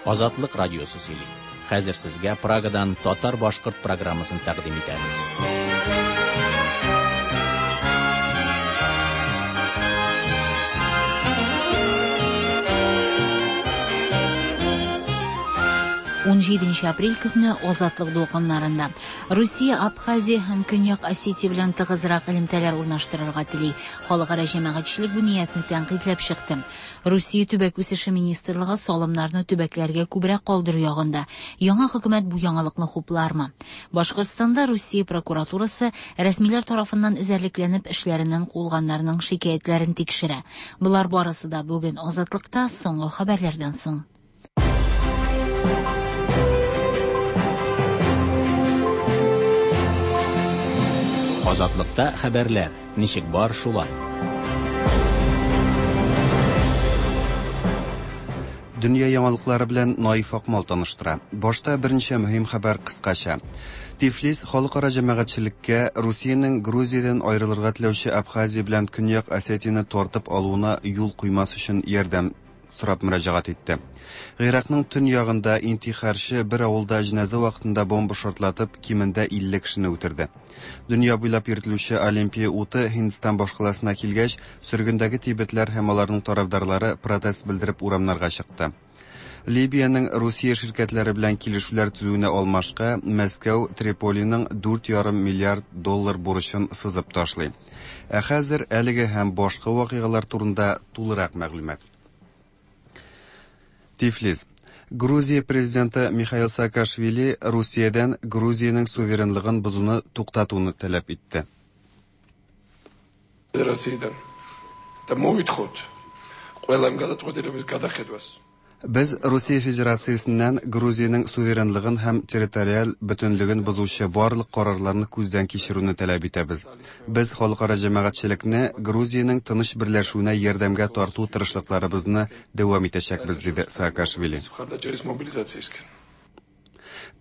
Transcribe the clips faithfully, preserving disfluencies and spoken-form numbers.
Азатлык радиосы сөйли. Хәзер сезгә Прагадан татар-башкорт программасын тәкъдим итәбез. Унҗиденче апрель көнне Азатлык дулкыннарында Русия Абхазия һәм Көньяк Осетия белән тыгызрак элемтәләр урнаштырырга тели. Халыкара җәмәгатьчелек бу ниятне тәнкыйтьләп чыкты. Русия төбәк үсеше министрлыгы салымнарны төбәкләргә күбрәк калдыру ягында. Яңа хөкүмәт бу яңалыкны хуплармы? Башкортстанда Русия прокуратурасы рәсмиләр тарафыннан эзәрлекләнеп эшләреннән куылганнарның шикаятьләрен тикшерә. Болар барысы да бүген Азатлыкта соңгы хәбәрләрдән соң. Азатлыкта хәбәрләр ничек бар шулай. Дөнья яңалыклары белән Наиф Акмал таныштыра. Башта берничә мөһим хәбәр кыскача. Тифлис халыкара җәмәгатьчелеккә Русиянең Грузиядән аерылырга теләүче Абхазия белән Көньяк Осетияне тартып алуына юл куймас өчен ярдәм сорап мөрәҗәгать итте. Гыйракның төньягында интихарчы бер авылда җеназа вакытында бомба шартлатып, кимендә илле кешене үтерде. Дөнья буйлап йөртелүче Олимпия уты Һиндстан башкаласына килгәч, сөргендәге тибетләр һәм аларның тарафдарлары протест белдереп урамнарга чыкты. Либиянең Русия ширкәтләре белән килешүләр төзүенә алмашка Мәскәү Триполиның дүрт ярым миллиард доллар бурычын сызып ташлый. Ә хәзер әлеге һәм башка вакыйгалар турында тулырак мәгълүмат. Тифлис. Грузия президенты Михаил Саакашвили Русиядән Грузиянең суверенлыгын бозуны туктатуны таләп итте. Федерациядән да მოვითხოვთ ყველა იმ გადაწყვეტილების გადახედვას. Без Русия Федерациясеннән Грузиянең суверенлыгын һәм территориаль бөтенлеген бозучы барлык карарларны күздән кичерүне таләп итәбез. Без халыкара җәмәгатьчелекне Грузиянең тыныч берләшүенә ярдәмгә тарту тырышлыкларыбызны дәвам итәчәкбез, диде Саакашвили.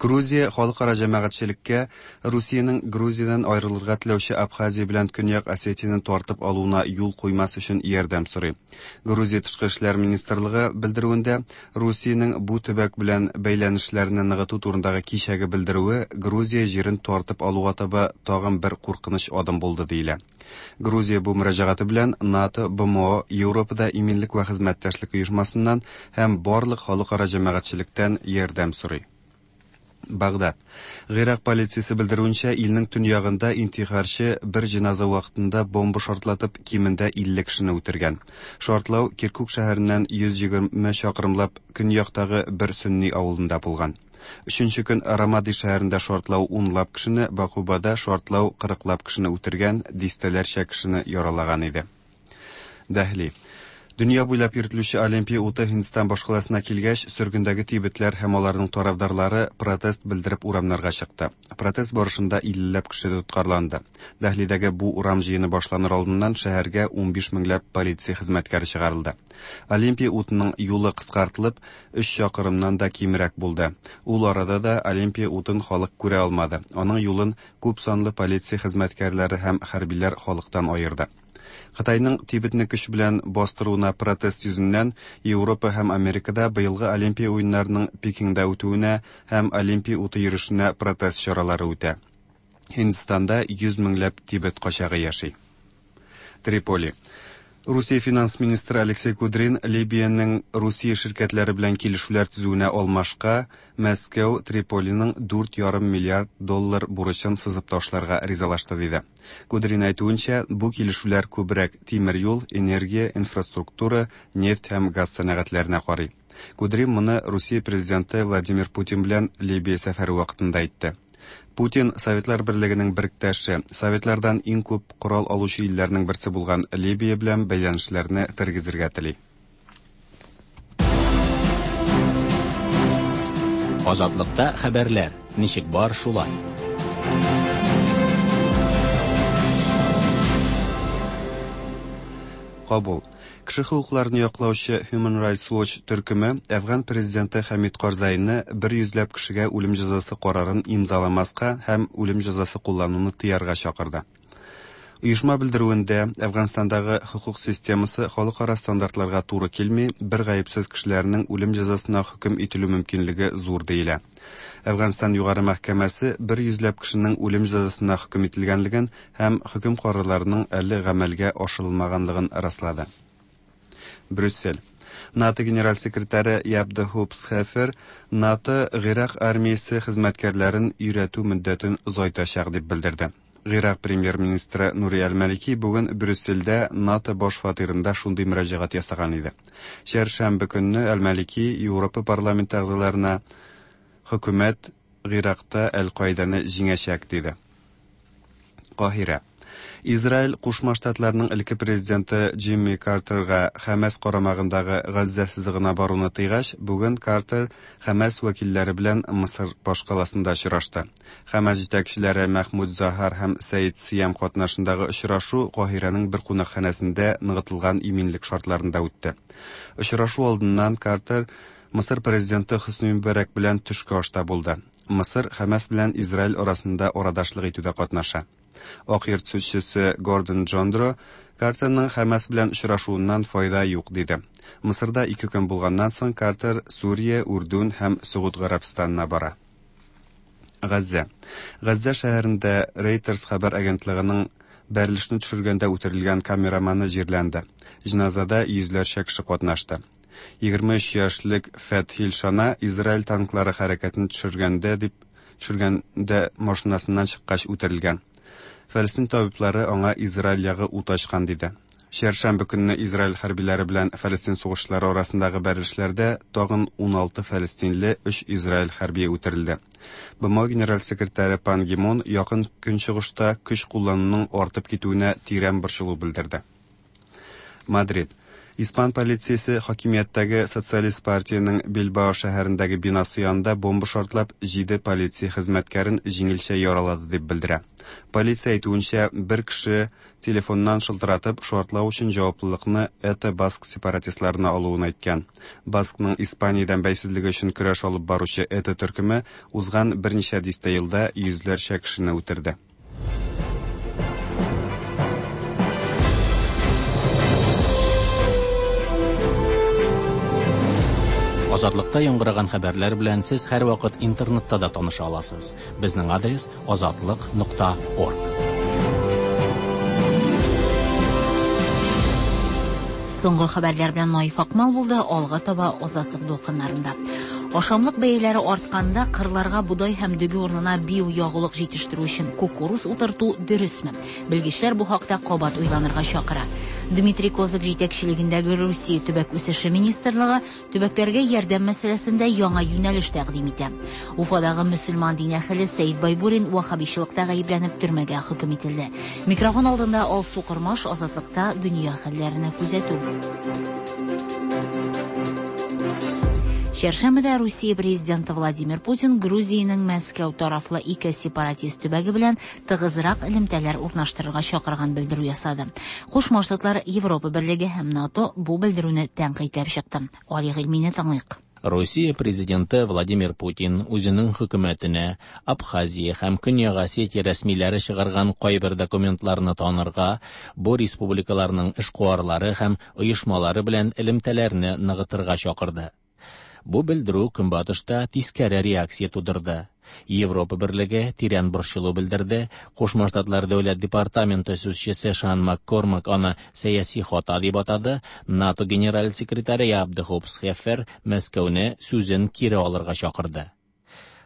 Грузия халыкара җәмәгатьчелеккә Русиянең Грузиядән аерылырга теләүче Абхазия белән Көньяк Осетияне тартып алуына юл куймас өчен ярдәм сорый. Грузия тышкы эшләр министрлыгы белдерүендә Русиянең бу төбәк белән бәйләнешләрне ныгыту турындагы кичәге белдерүе Грузия җирен тартып алуга таба тагын бер куркыныч адым булды диелә. Грузия бу мөрәҗәгате белән НАТО, Б М О, Европада иминлек ва хезмәттәшлек оешмасыннан һәм барлык халыкара җәмәгатьчелектән ярдәм сорый. Багдад. Гыйрак полициясе белдерүенчә, илнең төньягында интихарчы бер җеназа вакытында бомба шартлатып, кимендә илле кешене үтергән. Шартлау Киркук шәһәреннән йөз егерме чакрымлап көньяктагы бер сөнни авылында булган. Өченче көн Рамади шәһәрендә шартлау унлап кешене, Бакубада шартлау кырыклап кешене үтергән, дистәләрчә кешене яралаган иде. Дәһли. Дөнья буйлап йөртелүче Олимпия уты Һиндстан башкаласына килгәч, сөргендәге тибетләр һәм аларның тарафдарлары протест белдереп урамнарга чыкты. Протест барышында иллеләп кеше тоткарланды. Дәһлидәге бу урам җыены башланыр алдыннан шәһәргә унбиш меңләп полиция хезмәткәре чыгарылды. Олимпия утының юлы кыскартылып, өч чакрымнан да кимрәк булды. Ул арада да Олимпия утын халык күрә алмады. Аның юлын күп санлы полиция хезмәткәрләре һәм хәрбиләр халыктан аерды. Кытайның Тибетне көч белән бастыруына протест йөзеннән Европа һәм Америкада быелгы Олимпия уеннарының Пекинда үтүенә һәм Олимпия уты йөрешенә протест чаралары үтә. Һиндстанда йөз меңләп Тибет качагы яши. Триполи. Русия финанс министры Алексей Кудрин Либиянең Русия ширкәтләре белән килешүләр төзүенә алмашка Мәскәү Триполиның дүрт ярым миллиард доллар бурычын сызып ташларга ризалашты, диде. Кудрин әйтүенчә, бу килешүләр күбрәк тимер юл, энергия, инфраструктура, нефть һәм газ сәнәгатьләренә карый. Кудрин моны Русия президенты Владимир Путин белән Либия сәфәре вакытында әйтте. Путин Советлар Берлегенең беректәше, Советлардан иң күп корал алучы илләрнең берсе булган Либия белән бәйләнешләрне тергезергә тели. Азатлыкта хәбәрләр ничек бар шулай. Кабул. Кеше хокукларын яклаучы Human Rights Watch төркеме Әфган президенты Хәмид Карзайны бер йөзләп кешегә үлем җәзасы карарын имзаламаска һәм үлем җәзасы куллануны тыярга чакырды. Оешма белдерүендә Әфганстандагы хокук системасы халыкара стандартларга туры килми, бер гаепсез кешеләрнең үлем җәзасына хөкем ителү мөмкинлеге зур диелә. Әфганстан югары мәхкәмәсе бер йөзләп кешенең үлем җәзасына хөкем ителгәнлеген һәм хөкем карарларының әле гамәлгә ашырылмаганлыгын раслады. Брюссель. НАТО генераль секретаре Яп де Хоop Схефер НАТО Гыйрак армиясе хезмәткәрләрен өйрәтү мөддәтен озайтачак дип белдерде. Гыйрак премьер-министры Нури Әл-Малики бүген Брюссельдә НАТО баш фатирында шундый мөрәҗәгать ясаган иде. Чәршәмбе көнне Әл-Малики Европа парламенты әгъзаларына хөкүмәт Гыйракта Әл-Каиданы җиңәчәк диде. Каһирә. Израиль Кушма Штатларының элекке президенты Джимми Картерга Хәмәс карамагындагы Газзә сызыгына баруны тыйгач, бүген Картер Хәмәс вәкилләре белән Мысыр башкаласында очрашты. Хәмәс җитәкчеләре Мәхмүд Заһар һәм Сәид Сиям катнашындагы очрашу Каһирәнең бер кунакханәсендә ныгытылган иминлек шартларында үтте. Очрашу алдыннан Картер Мысыр президенты Хөсни Мөбарәк белән төшке ашта булды. Мысыр Хәмәс белән Израиль арасында арадашлык итүдә катнаша. Ак йорт сүзчесе Гордон Джондро Картерның Хәмәс белән очрашуыннан файда юк диде. Мысырда ике көн булганнан соң Картер Сүрия, Үрдүн һәм Согуд Гарәбстанына бара. Газзә. Газзә шәһәрендә Reuters хәбәр агентлыгының бәрелешне төшергәндә үтерелгән камераманы җирләнде. Җеназада йөзләрчә кеше катнашты. Егерме өч яшьлек Фәтхил Шана Израиль танклары хәрәкәтен төшергәндә дип төшергәндә машинасыннан чыккач үтерелгән. Фәлестин табиблары аңа Израиль ягы ут ачкан диде. Чәршәмбе көнне Израиль хәрбиләре белән Фәлестин сугышчылары арасындагы бәрелешләрдә тагын ун алты фәлестинле, өч Израиль хәрбие үтерелде. Б М генераль секретаре Пан Ги Мун якын көнчыгышта көч куллануның артып китүенә тирән борчылу белдерде. Мадрид. Испан полициясе хакимияттәге Социалист партиянең Билбао шәһәрендәге бинасы янында бомба шартлап, җиде полиция хезмәткәрен җиңелчә яралады дип белдерә. Полиция әйтүенчә, бер кеше телефоннан шылтыратып, шартлау өчен җаваплылыкны ЭТА баск сепаратистларына алуын әйткән. Баскның Испаниядән бәйсезлеге өчен көрәш алып баручы ЭТА төркеме узган берничә дистә елда йөзләрчә кешене үтерде. Азатлыкта яңгыраган хәбәрләр белән сез һәрвакыт интернетта да таныша аласыз. Безнең адрес азатлык нокта орг. Соңгы хәбәрләр белән Наиф Акмал булды, алга таба Азатлык дулкыннарында. Ашамлык бәяләре артканда кырларга бодай һәм дөге урынына биоягулык җитештерү өчен кукуруз утырту дөресме? Белгечләр бу хакта кабат уйланырга чакыра. Дмитрий Козак җитәкчелегендәге Русия төбәк үсеше министрлыгы төбәкләргә ярдәм мәсьәләсендә яңа юнәлеш тәкъдим итә. Уфадагы мөселман дин әһеле Сәид Байбурин ваххабичылыкта гаепләнеп төрмәгә хөкем ителде. Микрофон алдында Алсу Кормаш, Азатлыкта дөнья хәлләренә күзәтү. Чәршәмбедә Русия президенты Владимир Путин Грузиянең Мәскәү тарафлы ике сепаратист төбәге белән тыгызрак элемтәләр урнаштырырга чакырган белдерү ясады. Кушма Штатлар, Европа Берлеге һәм НАТО бу белдерүне тәнкыйтьләп чыкты. Али Гыйльмине тыңлыйк. Русия президенты Владимир Путин үзенең хөкүмәтенә Абхазия һәм Көньяк Осетия рәсмиләре чыгарган кайбер документларны танырга, бу республикаларның эшкуарлары һәм оешмалары белән элемтәләрне ныгытырга чакырды. Бу белдерү Көнбатышта тискәре реакция тудырды. Европа Берлеге тирән борчылу белдерде. Кушма Штатлар Дәүләт департаменты сүзчесе Шан Маккормак аны сәяси хата дип атады. НАТО генераль секретаре Яп де Хоop Схефер Мәскәүне сүзен кире алырга чакырды.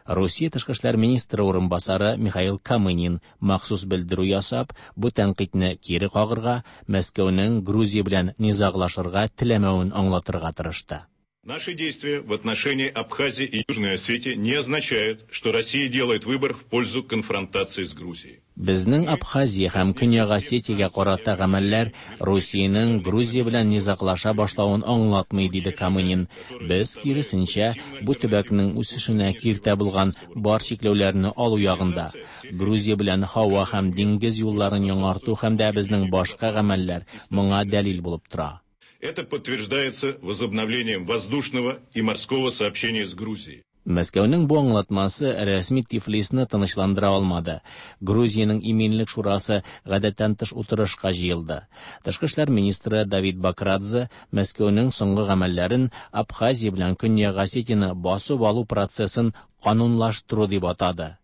Русия тышкы эшләр министры урынбасары Михаил Камынин махсус белдерү ясап, бу тәнкыйтьне кире кагырга, Мәскәүнең Грузия белән низаглашырга теләмәвен аңлатырга тырышты. Наши действия в отношении Абхазии и Южной Осетии не означают, что Россия делает выбор в пользу конфронтации с Грузией. Безнең Абхазия һәм Көньяк Осетиягә карата гамәлләр Русиянең Грузия белән низаглаша башлавын аңлатмый, диде Камынин. Без киресенчә бу төбәкнең үсешенә киртә булган бар чикләүләрне алу ягында. Грузия белән һава һәм диңгез юлларын яңарту һәм дә безнең башка гамәлләр моңа дәлил булып тора. Это подтверждается возобновлением воздушного и морского сообщения с Грузией. Мәскәүнең бу аңлатмасы рәсми Тифлисны тынычландыра алмады. Грузиянең иминлек шурасы гадәттән тыш утырышка җыелды. Тышкы эшләр министры Давид Бакрадзе Мәскәүнең соңгы гамәлләрен Абхазия белән Көньяк Осетияне басып алу процессын канунлаштыру дип атады.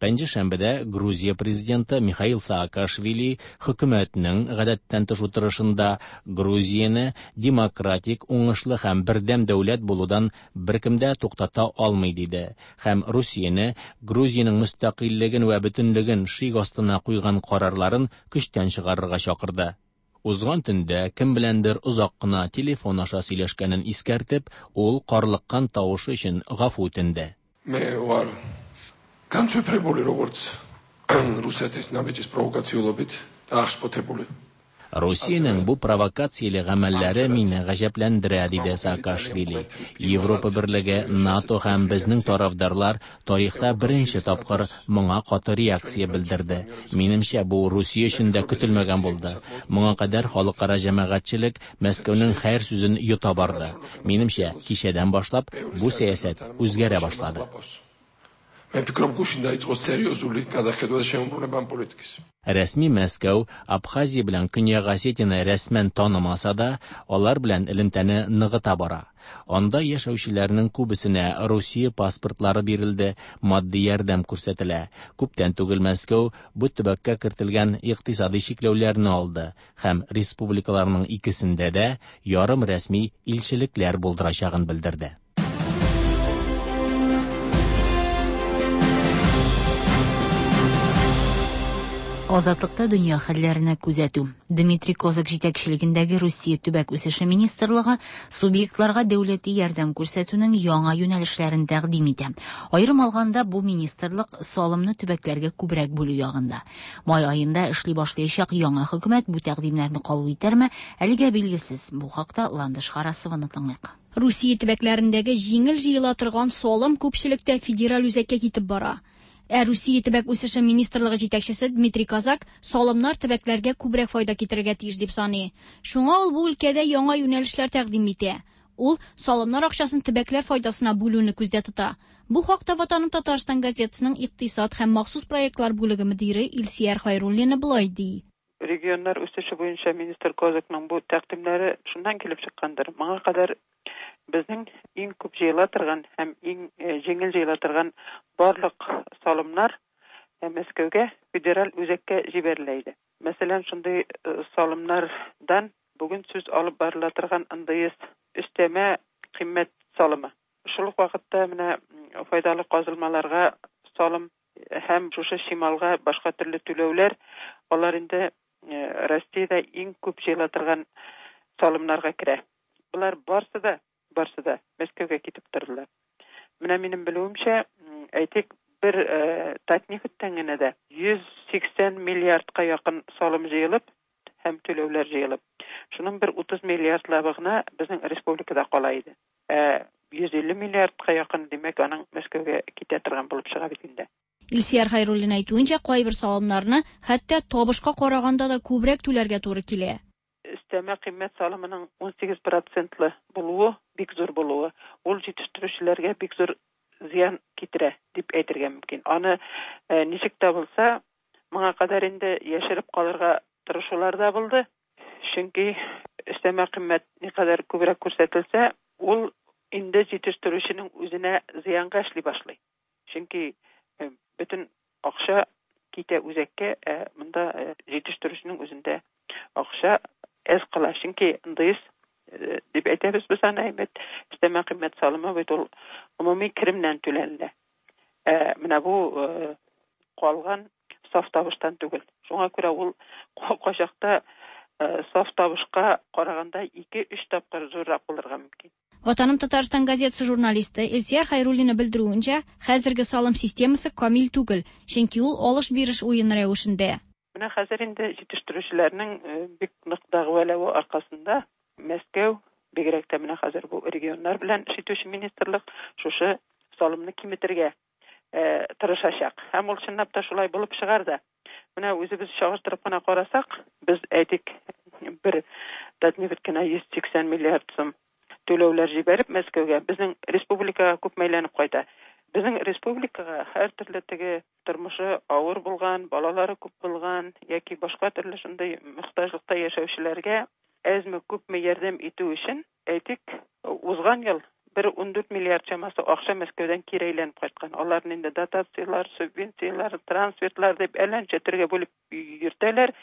Пәнҗешәмбедә Грузия президенты Михаил Саакашвили хөкүмәтнең гадәттән тыш утырышында Грузияне демократик, уңышлы һәм бердәм дәүләт булудан беркем дә туктата алмый диде һәм Русияне Грузиянең мөстәкыйльлеген вә бөтенлеген шик астына куйган карарларын көчтән чыгарырга чакырды. Узган төндә кем беләндер озак кына телефон аша сөйләшкәнен искәртеп, ул карлыккан тавышы өчен гафу үтенде. Მე ვარ განსვიფრებული როგორც რუსეთის ნაბიჯის პროვოკაციულობით და აღშფოთებული. Русиянең бу провокацияле гамәлләре мине гаҗәпләндерә, диде Саакашвили. Европа берлеге, НАТО һәм безнең тарафдарлар тарихта беренче тапкыр моңа каты реакция белдерде. Минемчә, бу Русия өчен дә көтелмәгән булды. Моңа кадәр халыкара җәмәгатьчелек Мәскәүнең хәер сүзен йота барды. Минемчә, кичәдән башлап бу сәясәт үзгәрә башлады. მე ვფიქრობ, გუშინ დაიწყო სერიოზული გადახედვა და შემობრუნება ამ პოლიტიკის. Рәсми Мәскәү Абхазия белән Көньяк Осетияне рәсмән танымаса да, алар белән элемтәне ныгыта бара. Анда яшәүчеләрнең күбесенә Русия паспортлары бирелде, матди ярдәм күрсәтелә. Күптән түгел Мәскәү бу төбәккә кертелгән икътисади чикләүләрне алды һәм республикаларның икесендә дә ярым рәсми илчелекләр булдырачагын белдерде. Азатлыкта дөнья хәлләренә күзәтү. Дмитрий Козак җитәкчелегендәге Русия төбәк үсеше министрлыгы субъектларга дәүләти ярдәм күрсәтүнең яңа юнәлешләрен тәкъдим итә. Аерым алганда, бу министрлык салымны төбәкләргә күбрәк бүлү ягында. Май аенда эшли башлаячак яңа хөкүмәт бу тәкъдимнәрне кабул итәрме, әлегә билгесез. Бу хакта Ландыш Харасованы тыңлыйк. Русия төбәкләрендәге җиңел җыела торган салым күпчелектә федераль үзәккә китеп бара. Ә Русия төбәк үсеше министрлыгы җитәкчесе Дмитрий Козак салымнар төбәкләргә күбрәк файда китерергә тиеш дип саный. Шуңа ул бу өлкәдә яңа юнәлешләр тәкъдим итә. Ул салымнар акчасын төбәкләр файдасына бүлүне күздә тота. Бу хакта Ватаным Татарстан газетасының икътисад һәм махсус проектлар бүлеге мөдире Илсияр Хайруллина болай ди. Регионнар үсеше буенча министр Козакның бу тәкъдимнәре шуннан килеп чыккандыр. Моңа кадәр безнең иң күп җыела торган һәм иң җиңел җыела торган барлык салымнар Мәскәүгә, федераль үзәккә җибәрелә иде. Мәсәлән, шундый салымнардан бүген сүз алып барыла торган эн дэ эс өстәмә кыйммәт салымы. Шул ук вакытта менә файдалы казылмаларга салым һәм шушы чималга башка төрле түләүләр, алар инде Россиядә иң күп җыела торган салымнарга керә. Булар барсы да барсы да Мәскәүгә китеп тордылар. Менә минем белүемчә, әйтик, бер Татнефтьтән генә дә йөз сиксән миллиардка якын салым җыелып һәм түләүләр җыелып, шуның бер утыз миллиардлабы гына безнең республикада кала иде. Ә йөз илле миллиардка якын, димәк, аның Мәскәүгә китә торган булып чыга бит инде. Илсияр Хайруллина әйтүенчә, кайбер салымнарны хәтта табышка караганда да күбрәк түләргә туры килә. Өстәмә кыйммәт салымының ун сигез процентлы булуы, бик зур булуы, ул җитештерүчеләргә бик зур зыян китерә дип әйтергә мөмкин. Аны ничек тә булса, моңа кадәр инде яшереп калырга тырышулар да булды. Чөнки өстәмә кыйммәт никадәр күбрәк күрсәтелсә, ул инде җитештерүченең үзенә зыянга эшли башлый. Чөнки бөтен акча китә үзәккә, ә монда җитештерүченең үзендә акча әз кала. Чөнки эн дэ эс дип әйтәбез без аны, әйбәт, өстәмә кыйммәт салымы бит ул гомуми керемнән түләнелә. Ә менә бу калган саф табыштан түгел. Шуңа күрә ул кайчакта саф табышка караганда ике-өч тапкыр зуррак булырга мөмкин. Ватаным Татарстан газетасы журналисты Илсияр Хайруллина белдерүенчә, хәзерге салым системасы камил түгел, чөнки ул алыш-биреш уен рәвешендә. Менә хәзер инде җитештерүчеләрнең бик нык дәгъвалавы аркасында Мәскәү, бигрәк тә менә хәзер бу регионнар белән эш итүче министрлык шушы салымны киметергә тырышачак. Һәм ул чынлап та шулай булып чыгар да. Менә үзебез чагыштырып кына карасак, без әйтик, бер Татнефть кенә йөз сиксән миллиард сум Түләүләр җибәреп Мәскәүгә безнең республикага күпме әйләнеп кайта. Безнең республикага һәр төрле теге тормышы авыр булган, балалары күп булган яки башка төрле шундый мохтаҗлыкта яшәүчеләргә әзме күпме ярдәм итү өчен, әйтик, узган ел бер ундүрт миллиард чамасы акча Мәскәүдән кире әйләнеп кайткан. Аларны инде дотацияләр, субвенцияләр, трансфертлар дип әллә ничә төргә бүлеп йөртәләр.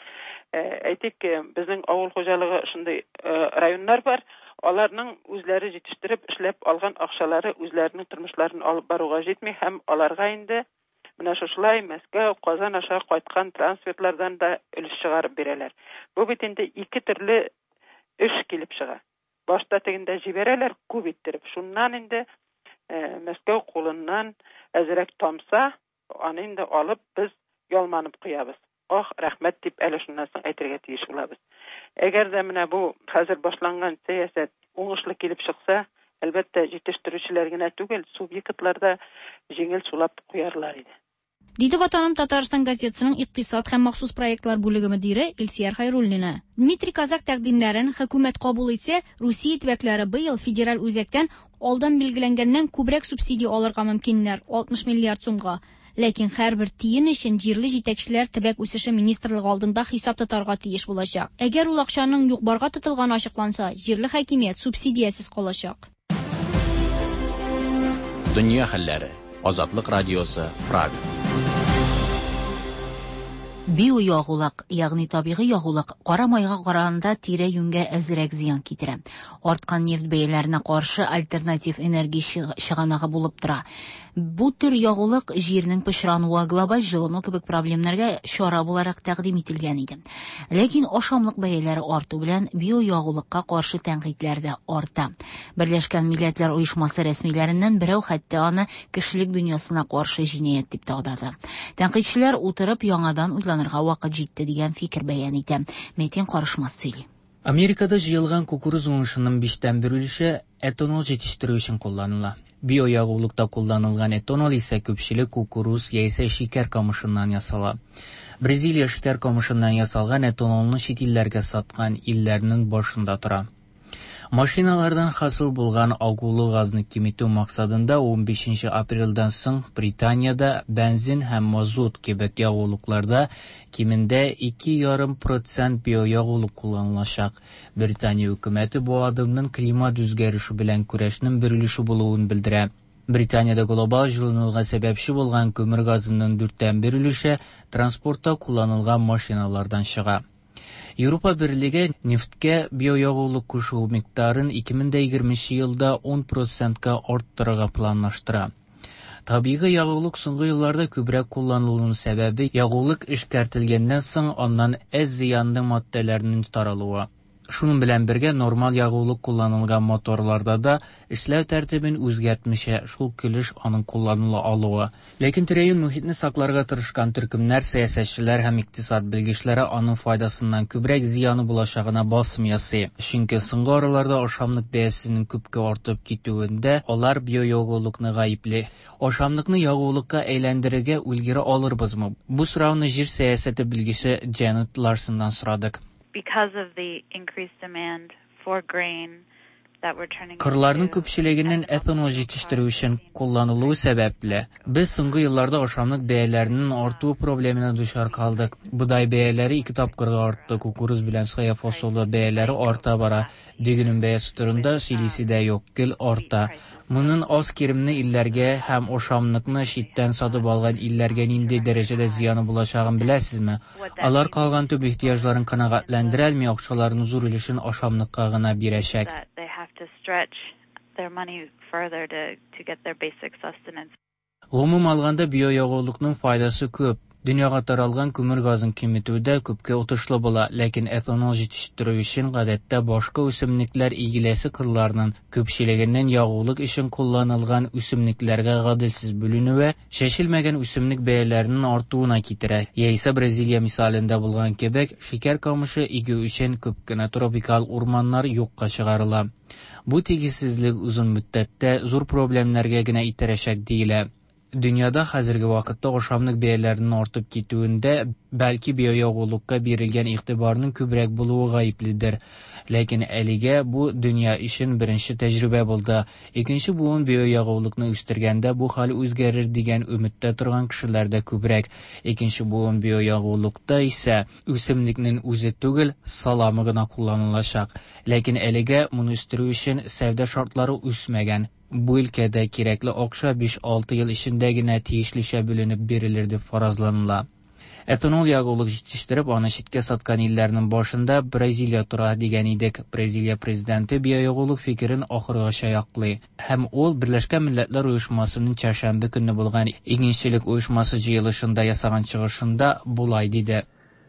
Әйтик, безнең авыл хуҗалыгы шундый районнар бар. Аларның үзләре җитештереп эшләп алган акчалары үзләренең тормышларын алып баруга җитми һәм аларга инде менә шушылай Мәскәү, Казан аша кайткан трансфертлардан да өлеш чыгарып бирәләр. Бу бит инде ике төрле эш килеп чыга. Башта тегендә җибәрәләр күп иттереп. Шуннан инде Мәскәү кулыннан әзрәк тамса, аны инде алып без ялманып куябыз. Ах, рәхмәт дип әле шуннан соң әйтергә тиеш булабыз. Әгәр дә менә бу хәзер башланган сәясәт уңышлы килеп чыкса, әлбәттә, җитештерүчеләр генә түгел, субъектлар да җиңел сулап куярлар иде. Диде Ватаным Татарстан газетасының икътисад һәм махсус проектлар бүлеге мөдире Илсияр Хайруллина. Дмитрий Козак тәкъдимнәрен хөкүмәт кабул итсә, Русия төбәкләре быел федераль үзәктән алдан билгеләнгәннән күбрәк субсидия алырга мөмкиннәр, алтмыш миллиард сумга. Ләкин һәрбер тиен өчен җирле җитәкчеләр төбәк үсеше министрлыгы алдында хисап тотарга тиеш булачак. Әгәр ул акчаның юк-барга тотылганы ачыкланса, җирле хакимият субсидиясез калачак. Дөнья хәлләре. Азатлык радиосы, Прага. Биоягулык, ягъни табигый ягулык, кара майга караганда тирә-юньгә әзрәк зыян китерә. Арткан нефть бәяләренә каршы альтернатив энергия чыганагы булып тора. Бу төр ягулык җирнең пычрануы, глобаль җылыну кебек проблемнарга чара буларак тәкъдим ителгән иде. Ләкин ашамлык бәяләре арту белән биоягулыкка каршы тәнкыйтьләр дә арта. Берләшкән Милләтләр Оешмасы рәсмиләреннән берәү хәтта аны кешелек дөньясына каршы җинаять дип тә атады. Тәнкыйтьчеләр утырып яңадан уйланырга вакыт җитте дигән фикер бәян итә. Метин Карышмас сөйли. Америкада җыелган кукуруз уңышының биштән бер өлеше этанол җитештерү өчен кулланыла. Биоягулыкта кулланылган этанол исә күпчелек кукуруз яисә шикәр камышыннан ясала. Бразилия шикәр камышыннан ясалган этанолны чит илләргә саткан илләрнең башында тора. Машиналардан хасил булган агулы газны киметү максатында унбишенче апрельдән соң Британиядә бензин һәм мазут кебек ягулыкларда кимендә ике ярым процент биоягулык кулланылачак. Британия хөкүмәте бу адымның климат үзгәреше белән көрәшнең бер өлеше булуын белдерә. Британиядә глобаль җылынуга сәбәпче булган күмер газының дүрттән бер өлеше транспортта кулланылган машиналардан чыга. Европа Берлеге нефтькә биоягулык кушу микъдарын ике мең дә егерменче елда ун процентка арттырырга планлаштыра. Табигый ягулык соңгы елларда күбрәк кулланылуның сәбәбе ягулык эшкәртелгәннән соң аннан әз зыянлы матдәләрнең таралуы. Шуның белән бергә нормаль ягулык кулланылган моторларда да эшләү тәртибен үзгәртмичә шул килеш аның кулланыла алуы. Ләкин тирә-юнь мөхитне сакларга тырышкан төркемнәр, сәясәтчеләр һәм икътисад белгечләре аның файдасыннан күбрәк зыяны булачагына басым ясый. Чөнки соңгы араларда ашамлык бәясенең күпкә артып китүендә алар биоягулыкны гаепли. Ашамлыкны ягулыкка әйләндерергә өлгерә алырбызмы? Бу сорауны җир сәясәте белгече Джанет Ларсоннан сорадык. Because of the increased demand for grain that we're turning Кырларның күпчелегенең этанол җитештерү өчен кулланылуы сәбәпле, без соңгы елларда ашамлык бәяләренең артуы проблемына дучар калдык. Бодай бәяләре ике тапкырга артты, кукуруз белән соя фасолы бәяләре арта бара. Дөгенең бәясе турында сөйлисе дә юк, гел арта. Моның аз керемле илләргә һәм ашамлыкны читтән сатып алган илләргә нинди дәрәҗәдә зыяны булачагын беләсезме? Алар калган төп ихтыяҗларын канәгатьләндерә алмый, акчаларының зур өлешен ашамлыкка гына бирәчәк. To stretch their money further to, to get their basic sustenance. Гомум алганда биоягулыкның файдасы күп. Дөньяга таралган күмер газын киметүдә күпкә отышлы була, ләкин этанол җитештерү өчен гадәттә башка үсемлекләр игеләсе кырларның күпчелегеннән ягулык өчен кулланылган үсемлекләргә гаделсез бүленүе чәчелмәгән үсемлек бәяләренең артуына китерә. Яисә Бразилия мисалында булган кебек, шикәр камышы игү өчен күп кенә тропикаль урманнар юкка чыгарыла. Бу тигезсезлек озын мөддәттә зур проблемнәргә генә итерәчәк диелә. Дөньяда хәзерге вакытта ашамлык бәяләренең артып китүендә бәлки биоягулыкка бирелгән игътибарның күбрәк булуы гаепледер. Ләкин әлегә бу дөнья өчен беренче тәҗрибә булды. Икенче буын биоягулыкны үстергәндә бу хәл үзгәрер дигән өметтә торган кешеләр дә күбрәк. Икенче буын биоягулыкта исә үсемлекнең үзе түгел, саламы гына кулланылачак. Ләкин әлегә моны үстерү өчен сәүдә шартлары үсмәгән. Бу өлкәдә кирәкле акча биш-алты ел эчендә генә тиешлечә бүленеп бирелер дип фаразланыла. Этанол ягулык җитештереп, аны читкә саткан илләрнең башында Бразилия тора дигән идек. Бразилия президенты биоягулык фикерен ахыргача яклый. Һәм ул Берләшкән Милләтләр Оешмасының чәршәмбе көнне булган Игенчелек оешмасы җыелышында ясаган чыгышында болай диде.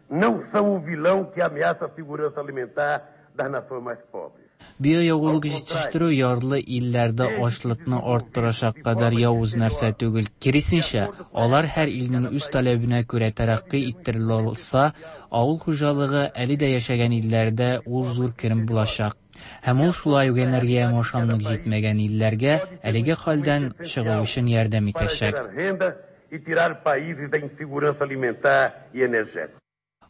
Não são o vilão que ameaça a segurança alimentar das nações mais pobres. Биоягулык җитештерү ярлы илләрдә ачлыкны арттырачак кадәр явыз нәрсә түгел. Киресенчә, алар һәр илнең үз таләбенә күрә тәрәкъкый иттерелә алса, авыл хуҗалыгы әле дә яшәгән илләрдә ул зур керем булачак. Һәм ул шулай ук энергия һәм ашамлык җитмәгән илләргә әлеге хәлдән чыгу өчен ярдәм итәчәк.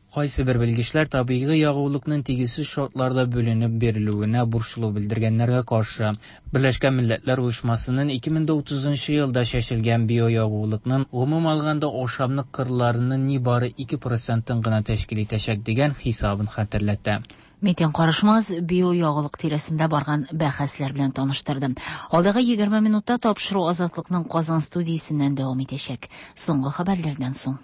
Кайсы бер белгечләр табигый ягулыкның тигезсез шартларда бүленеп бирелүенә борчылу белдергәннәргә каршы. Берләшкән Милләтләр Оешмасының ике мең утызынчы елда чәчелгән биоягулыкның гомум алганда ашамлык кырларының нибары ике процентын гына тәшкил итәчәк дигән хисабын хәтерләтә. Метин Карышмаз биоягулык тирәсендә барган бәхәсләр белән таныштырды. Алдагы егерме минутта тапшыру Азатлыкның Казан студиясеннән дәвам итәчәк. Соңгы хәбәрләрдән соң.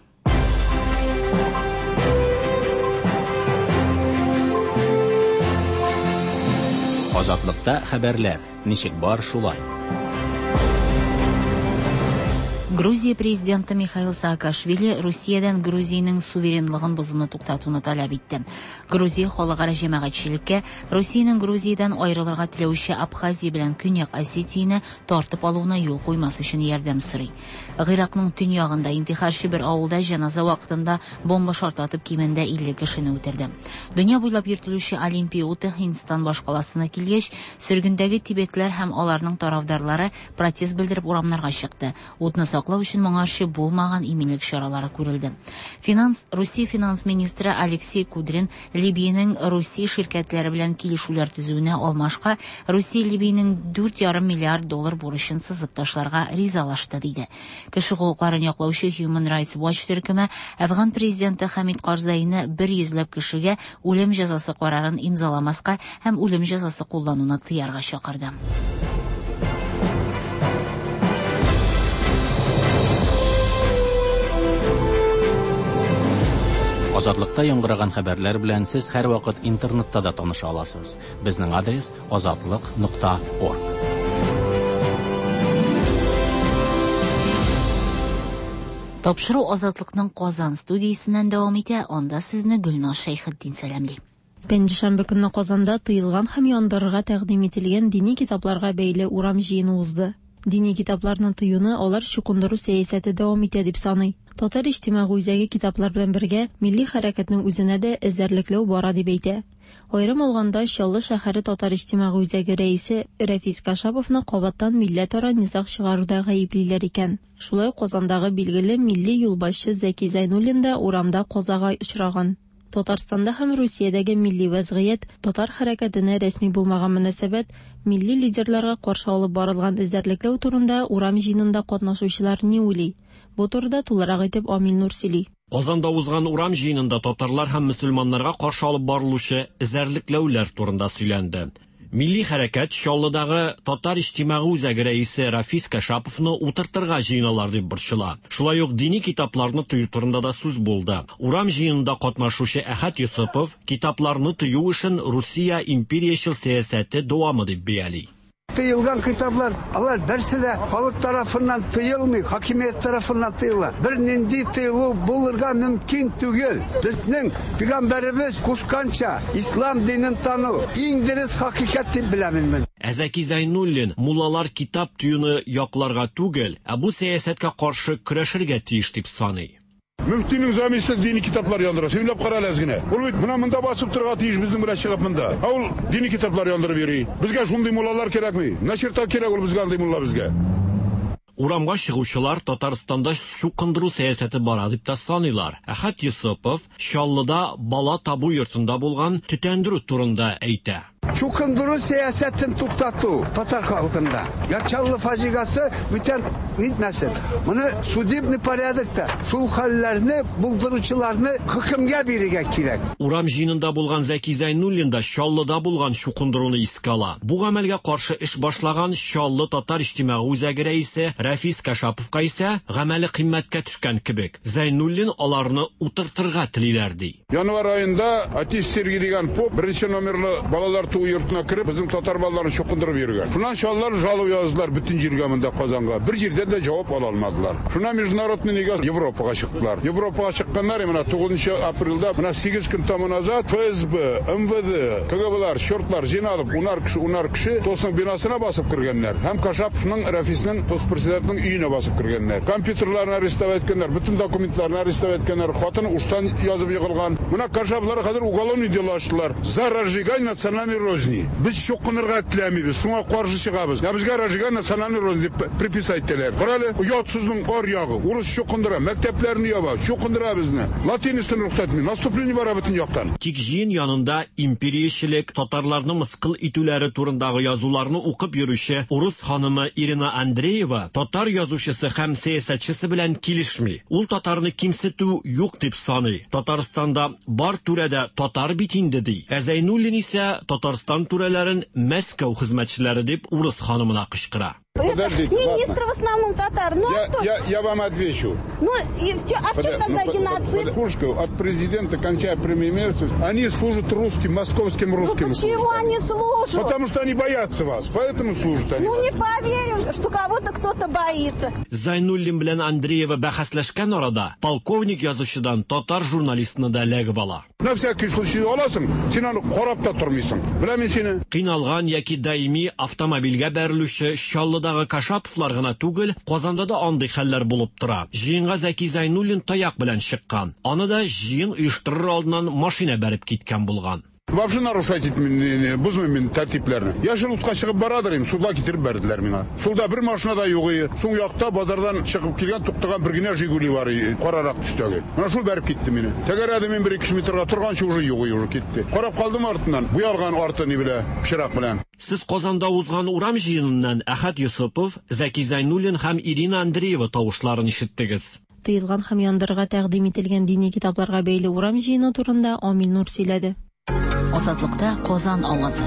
Азатлыкта хәбәрләр ничек бар шулай. Грузия президенты Михаил Саакашвили Русиядән Грузиянең суверенлыгын бозуны туктатуны таләп итте. Грузия халыкара җәмәгатьчелеккә Русиянең Грузиядән аерылырга теләүче Абхазия белән Көньяк Осетияне тартып алуына юл куймас өчен ярдәм сорый. Гыйракның төньягында интихарчы бер авылда җеназа вакытында бомба шартлатып кимендә илле кешене үтерде. Дөнья буйлап йөртелүче Олимпия уты Һиндстан башкаласына килгәч, сөргендәге тибетләр һәм аларның тарафдарлары протест белдереп урамнарга чыкты. Утны саклау өчен моңарчы булмаган иминлек чаралары күрелде. Финанс Русия финанс министры Алексей Кудрин Либиянең Русия ширкәтләре белән килешүләр төзүенә алмашка Русия Либиянең дүрт ярым миллиард доллар бурычын сызып ташларга ризалашты диде. Кеше хокукларын яклаучы Human Rights Watch төркеме Әфган президенты Хамид Карзайны бер йөзләп кешегә үлем җәзасы карарын имзаламаска һәм үлем җәзасы куллануны тыярга чакырды. Азатлыкта яңгыраган хәбәрләр белән сез һәрвакыт интернетта да таныша аласыз. Безнең адрес азатлык нокта орг. Тапшыру Азатлыкның Казан студиясеннән дәвам итә. Анда сезне Гөлназ Шәйхетдин сәламли. Пәнҗешәмбе көнне Казанда тыелган һәм яндырырга тәкъдим ителгән дини китапларга бәйле урам җыены узды. Дини китапларны тыюны алар чукындыру сәясәте дәвам итә дип саный. Татар иҗтимагый үзәге китаплар белән бергә милли хәрәкәтнең үзенә дә эзәрлекләү бара дип әйтә. Аерым алганда Чаллы шәһәре Татар иҗтимагый үзәге рәисе Рәфис Кашаповны кабаттан милләтара низаг чыгаруда гаеплиләр икән. Шулай ук Казандагы билгеле милли юлбашчы Зәки Зәйнуллин да урамда казага очраган. Татарстанда һәм Русиядәге милли вәзгыять, татар хәрәкәтенә рәсми булмаган мөнәсәбәт, милли лидерларга каршы алып барылган эзәрлекләү турында урам җыенында катнашучылар ни уйлый? Бу турыда тулырак итеп Амил Нур сөйли. Казанда узган урам җыенында татарлар һәм мөселманнарга каршы алып барылучы эзәрлекләүләр турында сөйләнде. Милли хәрәкәт Чаллыдагы Татар иҗтимагый үзәге рәисе Рафис Кашаповны утыртырга җыеналар дип борчыла. Шулай ук дини китапларны тыю турында да сүз булды. Урам җыенында катнашучы Әхәт Йосыпов китапларны тыю эшен Русия империячел сәясәте дәвамы дип бәяли. Тыелган китаплар, алар берсе дә халык тарафыннан тыелмый, хакимият тарафыннан тыела. Бер нинди тыелу булырга мөмкин түгел. Безнең пәйгамбәребез кушканча ислам динен тану иң дөрес хакыйкать дип беләмен мин. Ә Зәки Зәйнуллин муллалар китап тыюны якларга түгел, ә бу сәясәткә каршы көрәшергә тиеш дип саный. Müftinin zamisi dini kitaplar yandıra. Сөйләп кара әле генә. Ул бит менә монда басып торырга тиеш безнең белән чыгып монда. Ә ул дини китаплар яндырып йөри. Безгә шундый муллалар кирәкми. Начерта кирәк ул безгә андый мулла безгә. Урамга чыгучылар Татарстанда чукындыру сәясәте бара дип тә саныйлар. Әхәт Йосыпов Чаллыда бала табу йортында булган төтәндерү турында әйтә. Чукындыру сәясәтен туктату татар халкында. Яр Чаллы фаҗигасе бүтән нитмәсен. Моны судебный порядокта шул хәлләрне булдыручыларны хөкемгә бирергә кирәк. Урам җыенында булган Зәки Зәйнуллин да Чаллыда булган чукындыруны искә ала. Бу гамәлгә каршы эш башлаган Чаллы татар иҗтимагый үзәге рәисе Рафис Кашаповка исә гамәле кыйммәткә төшкән кебек. Зәйнуллин аларны утыртырга телиләр ди. Январь аенда Отец Сергий дигән поп беренче номерлы балалар туу йортына кереп, безнең татар балаларын чукындырып йөргән. Шуннан Чаллылар жалоб яздылар бөтен җиргә монда Казанга. Бер җирдән дә җавап ала алмадылар. Шуннан международный нигә Европага чыктылар. Европага чыкканнар менә тугызынчы апрельдә, менә сигез көн тому назад эф эс бэ, эм вэ дэ, ка гэ белар, чертлар җыйналып, унар кеше, унар кеше ТОСның бинасына басып кергәннәр. Һәм Кашаповның, Рафисның, ТОС председателенең өенә басып кергәннәр. Компьютерларны арестовать иткәннәр, бөтен документларны арестовать иткәннәр, хатын уштан язып егылган. Менә Кашаповлар хәзер уголовный дело ачтылар. За разжигание национальной розни. Без чукынырга теләмибез, шуңа каршы чыгабыз. Я безгә разжигание национальной розни дип приписать итәләр. Карале, оятсызның ар ягы. Урыс чукындыра, мәктәпләрне яба, чукындыра безне. Латинисын рөхсәт итми, наступление бара бөтен яктан. Тик җыен янында империячелек, татарларны мыскыл итүләре турындагы язуларны укып йөрүче урыс ханымы Ирина Андреева татар язучысы һәм сәясәтчесе белән килешми. Ул татарны кимсетү юк дип саный. Татарстанда бар түрәдә татар бит инде ди. Ә Зәйнуллин исә Татарстан түрәләрен Мәскәү хезмәтчеләре дип урыс ханымына кычкыра. Подождите, министры в основном татар. Ну, я, а что? Я, я вам отвечу. Ну, и в чё, а в чем тогда геноцид? Под, от президента, кончая премьер-министром, они служат русским, московским русским. Ну, почему они служат? Потому что они боятся вас, поэтому служат они. Ну, не поверим, что кого-то кто-то боится. Зайнуллин белән Андреева бәхәсләшкән арада полковник язучыдан татар журналистны да эләгеп ала. На всякий случай аласың, син аны карап та тормыйсың. Беләм мин сине. Кыйналган яки даими автомобильгә бәрелүче Чаллыдагы Кашаповлар гына түгел, Казанда да андый хәлләр булып тора. Җыенга Зәки Зәйнуллин таяк белән чыккан. Аны да җыен оештырыр алдыннан машина бәреп киткән булган. Вообще нарушать итмин, бозмыйм мин тәртипләрне. Яшел утка чыгып барадыр им, суда китереп бәрделәр миңа. Сулда бер машина да юк иде. Соң якта базардан чыгып килгән туктаган бер генә Жигули бар иде, карарак төстәге. Менә шул бәреп китте мине. Тәгәрәде мин бер ике метрга торганчы уже юк иде, уже китте. Карап калдым артыннан. Буялган арты ни белә, пычрак белән. Сез Казанда узган урам җыеныннан Әхәт Йосыпов, Зәки Зәйнуллин һәм Ирина Андреева тавышларын ишеттегез. Тыелган һәм яндырырга тәкъдим ителгән дини китапларга бәйле урам җыены турында Амил Нур сөйләде. Азатлыкта Казан авазы.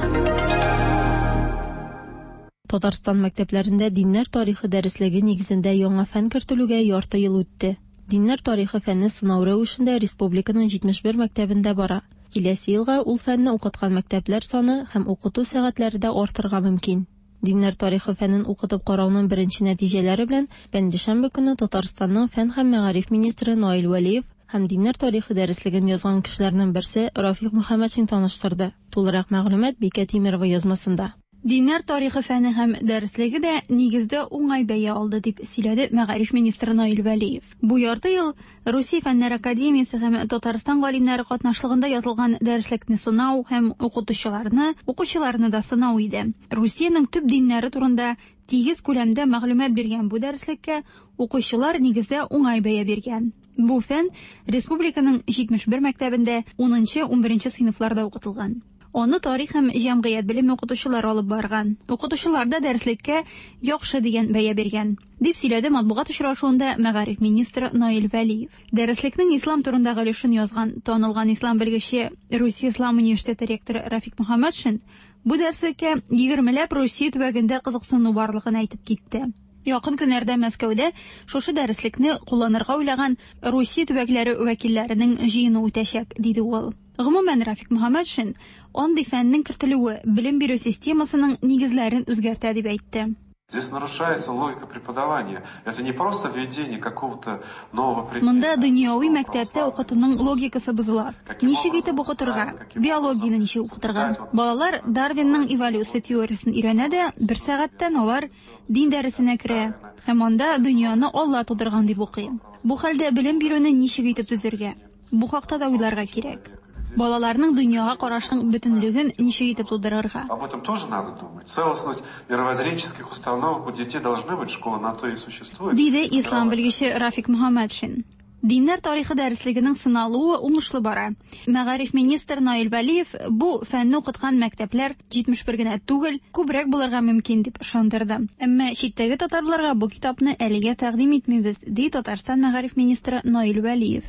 Татарстан мәктәпләрендә диннәр тарихы дәреслеге нигезендә яңа фән кертелүгә ярты ел үтте. Диннәр тарихы фәне сынау рәвешендә республиканың җитмеш бер мәктәбендә бара. Киләсе елга ул фәнне укыткан мәктәпләр саны һәм укыту сәгатьләре дә артырга мөмкин. Диннәр тарихы фәнен укытып карауның беренче нәтиҗәләре белән пәнҗешәмбе көне Татарстанның фән һәм мәгариф министры Наил Вәлиев һәм диннәр тарихы дәреслеген язган кешеләрнең берсе Рафик Мөхәммәтшин таныштырды. Тулырак мәгълүмат Бикә Тимирова язмасында. Диннәр тарихы фәне һәм дәреслеге дә нигездә уңай бәя алды, дип сөйләде мәгариф министры Наил Вәлиев. Бу ярты ел Русия Фәннәр академиясе һәм Татарстан галимнәре катнашлыгында язылган дәреслекне сынау һәм укытучыларны, укучыларны да сынау иде. Русиянең төп диннәре турында тигез күләмдә мәгълүмат биргән бу дәреслеккә укучылар нигездә уңай бәя биргән. Бу фән республиканың җитмеш бер мәктәбендә унынчы-унберенче сыйныфларда укытылган. Аны тарих һәм җәмгыять белеме укытучылары алып барган. Укытучылар да дәреслеккә яхшы дигән бәя биргән, дип сөйләде матбугат очрашуында мәгариф министры Наил Вәлиев. Дәреслекнең ислам турындагы өлешен язган танылган ислам белгече Русия Ислам университеты ректоры Рафик Мөхәммәтшин бу дәреслеккә егермеләп Русия төбәгендә кызыксыну барлыгын әйтеп китте. Якын көннәрдә Мәскәүдә шушы дәреслекне кулланырга уйлаган Русия төбәкләре вәкилләренең җыены үтәчәк, диде ул. Гомумән, Рафик Мөхәммәтшин андый фәннең кертелүе белем бирү системасының нигезләрен үзгәртә дип әйтте. Здесь нарушается логика преподавания. Это не просто введение какого-то нового предмета. Монда дөньяви мәктәптә укытуның логикасы бозыла. Ничек итеп укытырга? Биологияне ничек укытырга? Балалар Дарвинның эволюция теориясен өйрәнә дә, бер сәгатьтән алар дин дәресенә керә һәм анда дөньяны Алла тудырган дип укый. Бу хәлдә белем бирүне ничек итеп төзергә? Бу хакта да уйларга кирәк. Балаларның дөньяга карашының бөтенлеген ничек итеп тудырырга? Об этом тоже надо думать. Целостность мировоззренческих установок у детей должны быть, школа на то и существует. Диде ислам белгече Рафик Мөхәммәтшин. Диннәр тарихы дәреслегенең сыналуы уңышлы бара. Мәгариф министры Наил Вәлиев бу фәнне укыткан мәктәпләр җитмеш бер генә түгел, күбрәк булырга мөмкин дип ышандырды. Әмма читтәге татарларга бу китапны әлегә тәкъдим итмибез, ди Татарстан мәгариф министры Наил Вәлиев.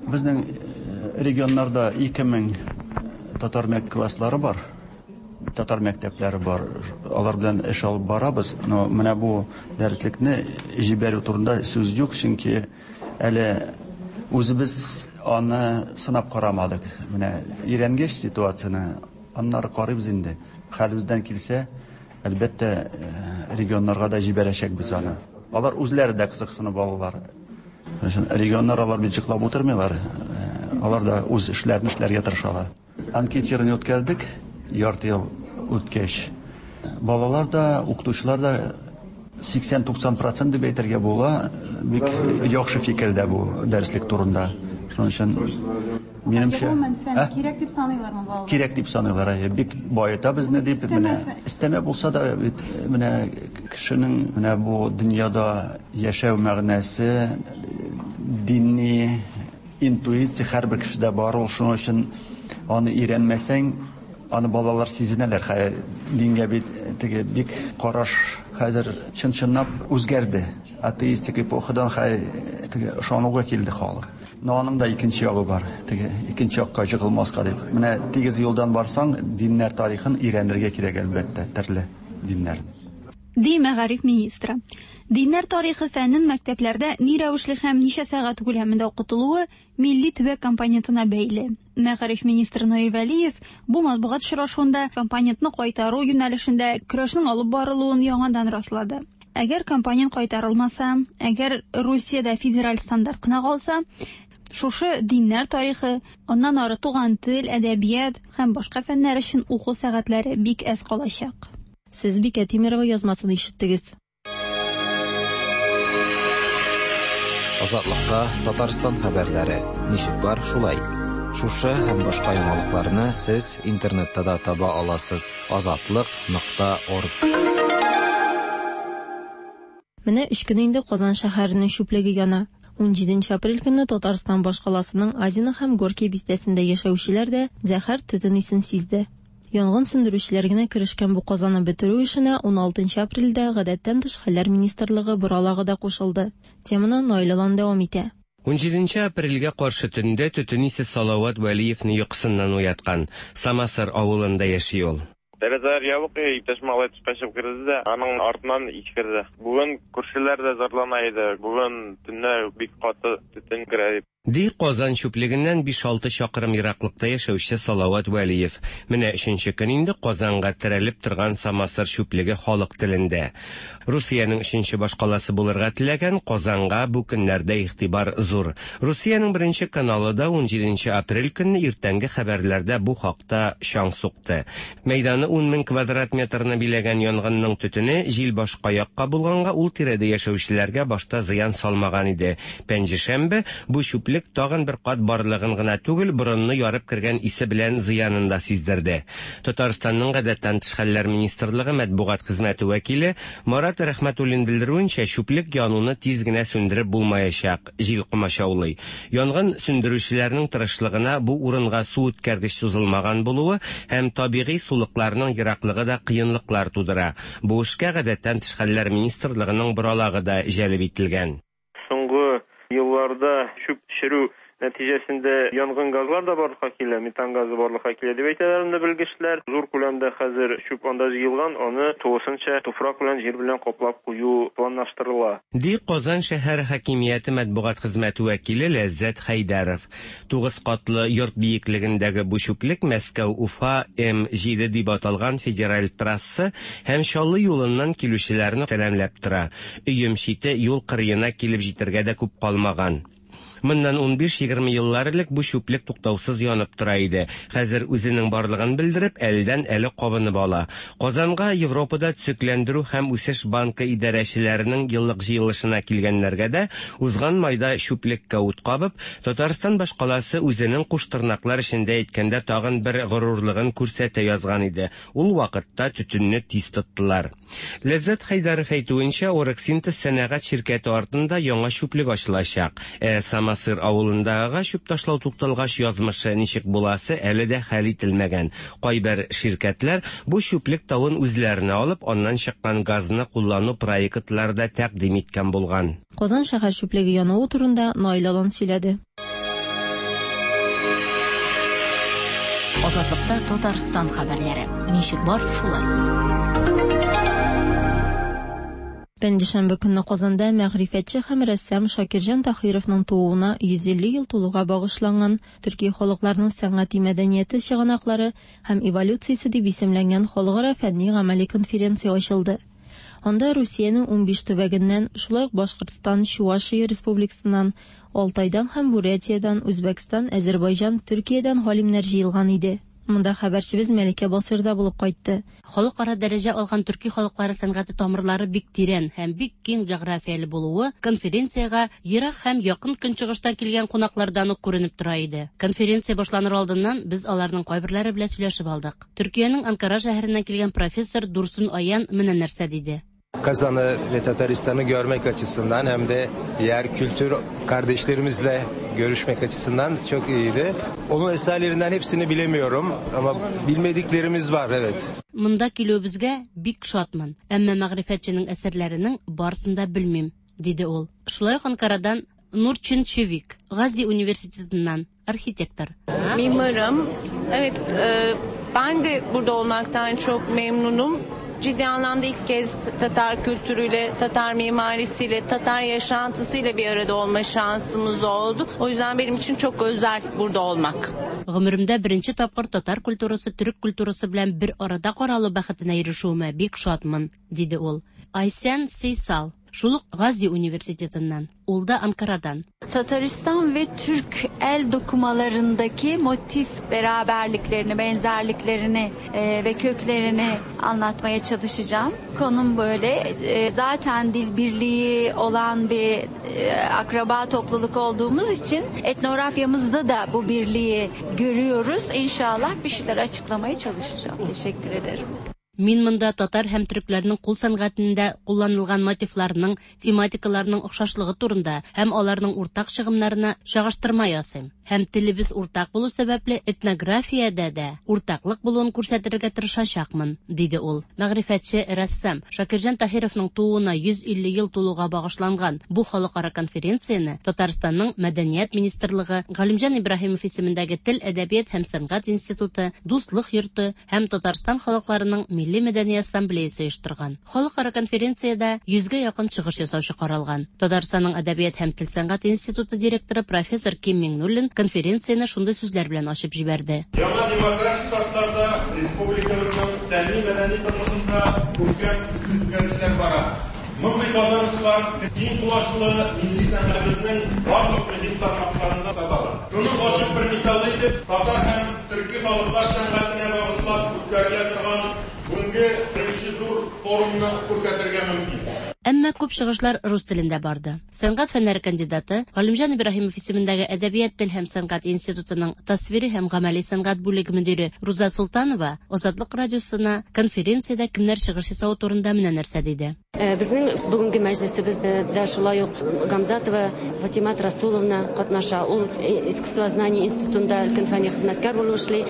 Безнең регионнарда ике мең татар мәктәп класслары бар, татар мәктәпләре бар. Алар белән эш алып барабыз. Но менә бу дәреслекне җибәрү турында сүз юк, чөнки әле үзебез аны сынап карамадык. Менә өйрәнгәч ситуацияне, аннары карыйбыз инде. Хәлебездән килсә, әлбәттә, регионнарга да җибәрәчәкбез аны. Алар үзләре дә кызыксынып алалар. Регионнар алар бит җыклап утырмыйлар. Алар да үз эшләрен эшләргә тырышалар. Анкетирование үткәрдек, ярты ел үткәч. Балалар да, укытучылар да сиксән туксан процент дип әйтергә була, бик яхшы фикердә бу дәреслек турында. Шуның өчен минемчә, кирәк дип саныйлармы балалар? Кирәк дип саныйлар, бик баета безне дип, менә өстәмә булса да бит менә кешенең менә бу дөньяда яшәү мәгънәсе, дини интуиция һәрбер кешедә бар ул. Шуның өчен аны өйрәнмәсәң, аны балалар сизенәләр. Хәер, дингә бит теге бик караш хәзер чын-чынлап үзгәрде. Атеистик эпохадан хәер теге ышануга килде халык. Но аның да икенче ягы бар. Теге икенче якка жыгылмаска дип. Менә тигез юлдан барсаң, диннәр тарихын өйрәнергә кирәк әлбәттә, төрле диннәр. Ди мәгариф министры. Диннәр тарихы фәнен мәктәпләрдә ни рәвешле һәм ничә сәгать күләмендә укытылуы милли төбәк компонентына бәйле. Мәгариф министры Наил Вәлиев бу матбугат очрашуында компонентны кайтару юнәлешендә көрәшнең алып барылуын яңадан раслады. Әгәр компонент кайтарылмаса, әгәр Русиядә федераль стандарт кына калса, шушы диннәр тарихы, аннан ары туган тел, әдәбият һәм башка фәннәр өчен уку сәгатьләре бик әз калачак. Сез Бикә Тимирова язмасын ишеттегез. Азатлыкта Татарстан хәбәрләре ничек бар шулай. Шушы һәм башка яңалыкларны сез интернетта да таба аласыз. азатлык нокта орг. Менә өч көн инде Казан шәһәренең чүплеге яна. Унҗиденче апрель көнне Татарстан башкаласының Азино һәм Горький бистәсендә яшәүчеләр дә зәһәр төтен исен сизде. Янгын сүндерүчеләр генә керешкән бу казаны бетерү эшенә уналтынчы апрельдә гадәттән тыш хәлләр министрлыгы боралагы да кушылды. Теманы Наил Алан дәвам итә. Унҗиденче апрельгә каршы төндә төтен исе Салават Вәлиевне йокысыннан уяткан. Самасыр авылында яши ул. Тәрәзәләр ябык, иптәш малай тышка чыгып керде дә, аның артыннан ис керде. Бүген күршеләр дә зарлана иде. Бүген төнлә бик каты төтен керә дип. Ди Казан чүплегеннән биш-алты чакрым ераклыкта яшәүче Салават Вәлиев. Менә өченче көн инде Казанга терәлеп торган Самасыр чүплеге халык телендә. Русиянең өченче башкаласы булырга теләгән Казанга бу көннәрдә игътибар зур. Русиянең беренче каналы да унҗиденче апрель көнне иртәнге хәбәрләрдә бу хакта чаң сукты. Мәйданы ун мең квадрат метрны биләгән янгынның төтене җил башка якка булганга ул тирәдә яшәүчеләргә башта зыян салмаган иде. Пәнҗешәмбе бу чүплек тагын бер кат барлыгын гына түгел, борынны ярып кергән исе белән зыянын да сиздерде. Татарстанның гадәттән тыш хәлләр министрлыгы матбугат хезмәте вәкиле Марат Рәхмәтуллин белдерүенчә, чүплек януны тиз генә сүндереп булмаячак, җил комачаулый. Янгын сүндерүчеләрнең тырышлыгына бу урынга су үткәргеч сузылмаган булуы һәм табигый сулыкларның ераклыгы да кыенлыклар тудыра. Бу эшкә гадәттән тыш хәлләр министрлыгының боралагы да җәлеп ителгән. Соңгы елларда чүп төшерү нәтиҗәсендә янгын газлар да барлыкка килә, метан газы барлыкка килә дип әйтәләр инде белгечләр. Зур күләмдә хәзер чүп анда җыелган, аны тулысынча туфрак белән, җир белән каплап кую планлаштырыла. Ди Казан шәһәр хакимияте матбугат хезмәте вәкиле Ләззәт Хәйдәров. Тугыз катлы йорт биеклегендәге бу чүплек Мәскәү-Уфа М җиде дип аталган федераль трасса һәм Чаллы юлыннан килүчеләрне сәламләп тора. Өем чите юл кырыена килеп җитәргә дә күп калмаган. Моннан унбиш-егерме еллар элек бу чүплек туктаусыз янып тора иде. Хәзер үзенең барлыгын белдереп, әледән-әле кабынып ала. Казанга Европада төзекләндерү һәм үсеш банкы идарәчеләренең еллык җыелышына килгәннәргә дә узган майда чүплеккә ут кабып, Татарстан башкаласы үзенең куштырнаклар эчендә әйткәндә тагын бер горурлыгын күрсәтә язган иде. Ул вакытта төтенне тиз тоттылар. Ләззат Хәйдәров әйтүенчә, Орексинтез сәнәгать ширкәте артында яңа чүплек ачылачак. Ә Самасыр авылындагы чүп ташлау тукталгач язмышы ничек буласы әле дә хәл ителмәгән. Кайбер ширкәтләр бу чүплек тавын үзләренә алып, аннан чыккан газны куллану проектлары да тәкъдим иткән булган. Казан шәһәр чүплеге януы турында Наил Алан сөйләде. Азатлыкта Татарстан хәбәрләре. Ничек бар, шулай. Пәнҗешәмбе көнне Казанда мәгърифәтче һәм рәссам Шакирҗан Таһировның тууына йөз илле ел тулуга багышланган Төрки халыкларының сәнгати мәдәнияте чыганаклары һәм эволюциясе дип исемләнгән халыкара фәнни-гамәли конференция ачылды. Анда Русиянең унбиш төбәгеннән, шулай ук Башкортстан, Чувашия Республикасыннан, Алтайдан һәм Бурятиядан, Үзбәкстан, Әзербайҗан, Төркиядән галимнәр җыелган иде. Монда хәбәрчебез Мәликә Басыр да булып кайтты. Халыкара дәрәҗә алган төрки халыклары сәнгате тамырлары бик тирән һәм бик киң географияле булуы конференциягә ерак һәм якын көнчыгыштан килгән кунаклардан ук күренеп тора иде. Конференция башланыр алдыннан без аларның кайберләре белән сөйләшеп алдык. Төркиянең Анкара шәһәреннән килгән профессор Дурсун Аян менә нәрсә диде. Kazan'ı ve Tataristan'ı görmek açısından hem de diğer kültür kardeşlerimizle görüşmek açısından çok iyiydi. Onun eserlerinden hepsini bilemiyorum ama bilmediklerimiz var, evet. Монда килүебезгә бик шатмын, әмма мәгърифәтченең әсәрләренең барысын да белмим, диде ул. Шулай ук Анкарадан Нурчин Чевик, Гази университетыннан архитектор. Mimarım. Evet, ben de burada olmaktan çok memnunum. Ciddi anlamda ilk kez Tatar kültürüyle, Tatar mimarisiyle, Tatar yaşantısıyla bir arada olma şansımız oldu. O yüzden benim için çok özel burada olmak. Гомеремдә беренче тапкыр татар культурасы, төрек культурасы белән бер арада каралу бәхетенә ирешүемә бик шатмын, диде ул. Айсен Сейсал, шул ук Гази университетыннан, ул да Анкарадан. Tataristan ve Türk el dokumalarındaki motif beraberliklerini, benzerliklerini e, ve köklerini anlatmaya çalışacağım. Konum böyle. E, zaten dil birliği olan bir e, akraba topluluk olduğumuz için etnografyamızda da bu birliği görüyoruz. İnşallah bir şeyler açıklamaya çalışacağım. Teşekkür ederim. Мин монда татар һәм төркләрнең кул сәнгатендә кулланылган мотивларының, тематикаларының охшашлыгы турында һәм аларның уртак чыгымнарына чагыштырма ясыйм. Һәм телебез уртак булу сәбәпле этнографиядә дә уртаклык булуын күрсәтергә тырышачакмын, диде ул. Мәгърифәтче рәссам Шакирҗан Таһировның тууына йөз илле ел тулуга багышланган бу халыкара конференцияне Татарстанның Мәдәният министрлыгы, Галимҗан Ибраһимов исемендәге Тел, әдәбият һәм сәнгать институты, Дуслык йорты һәм Татарстан халыкларының Милли мәдәни ассамблеясы оештырган. Халыкара конференциядә йөзгә якын чыгыш ясаучы каралган. Татарстанның Әдәбият һәм тел сәнгать институты директоры профессор Ким Миңнуллин конференцияне шундый сүзләр белән ачып җибәрде. Яңа демократик шартларда республикабызның фәнни-мәдәни тормышында күркәм үзгәрешләр бара. Мондый казанышлар киң колачлы милли сәнгатебезнең барлык мөһим тармакларында табыла. Шуның ачык бер мисалы итеп татар һәм төрки халыклар сәнгатенә багышлап үткәрелә торган бүгенге беренче зур форумны күрсәтергә мөмкин. Әмма күп чыгышлар рус телендә барды. Сәнгать фәннәре кандидаты Галимҗан Ибраһимов исемендәге Әдәбият, тел һәм сәнгать институтының тасвири һәм гамәли сәнгать бүлеге мөдире Руза Султанова Азатлык радиосына конференциядә кемнәр чыгыш ясавы турында менә нәрсә диде. Безнең бүгенге мәҗлесебездә шулай ук Гамзатова Фатимат Расуловна катнаша. Ул искусствознание институтында өлкән фәнни хезмәткәр булып эшли.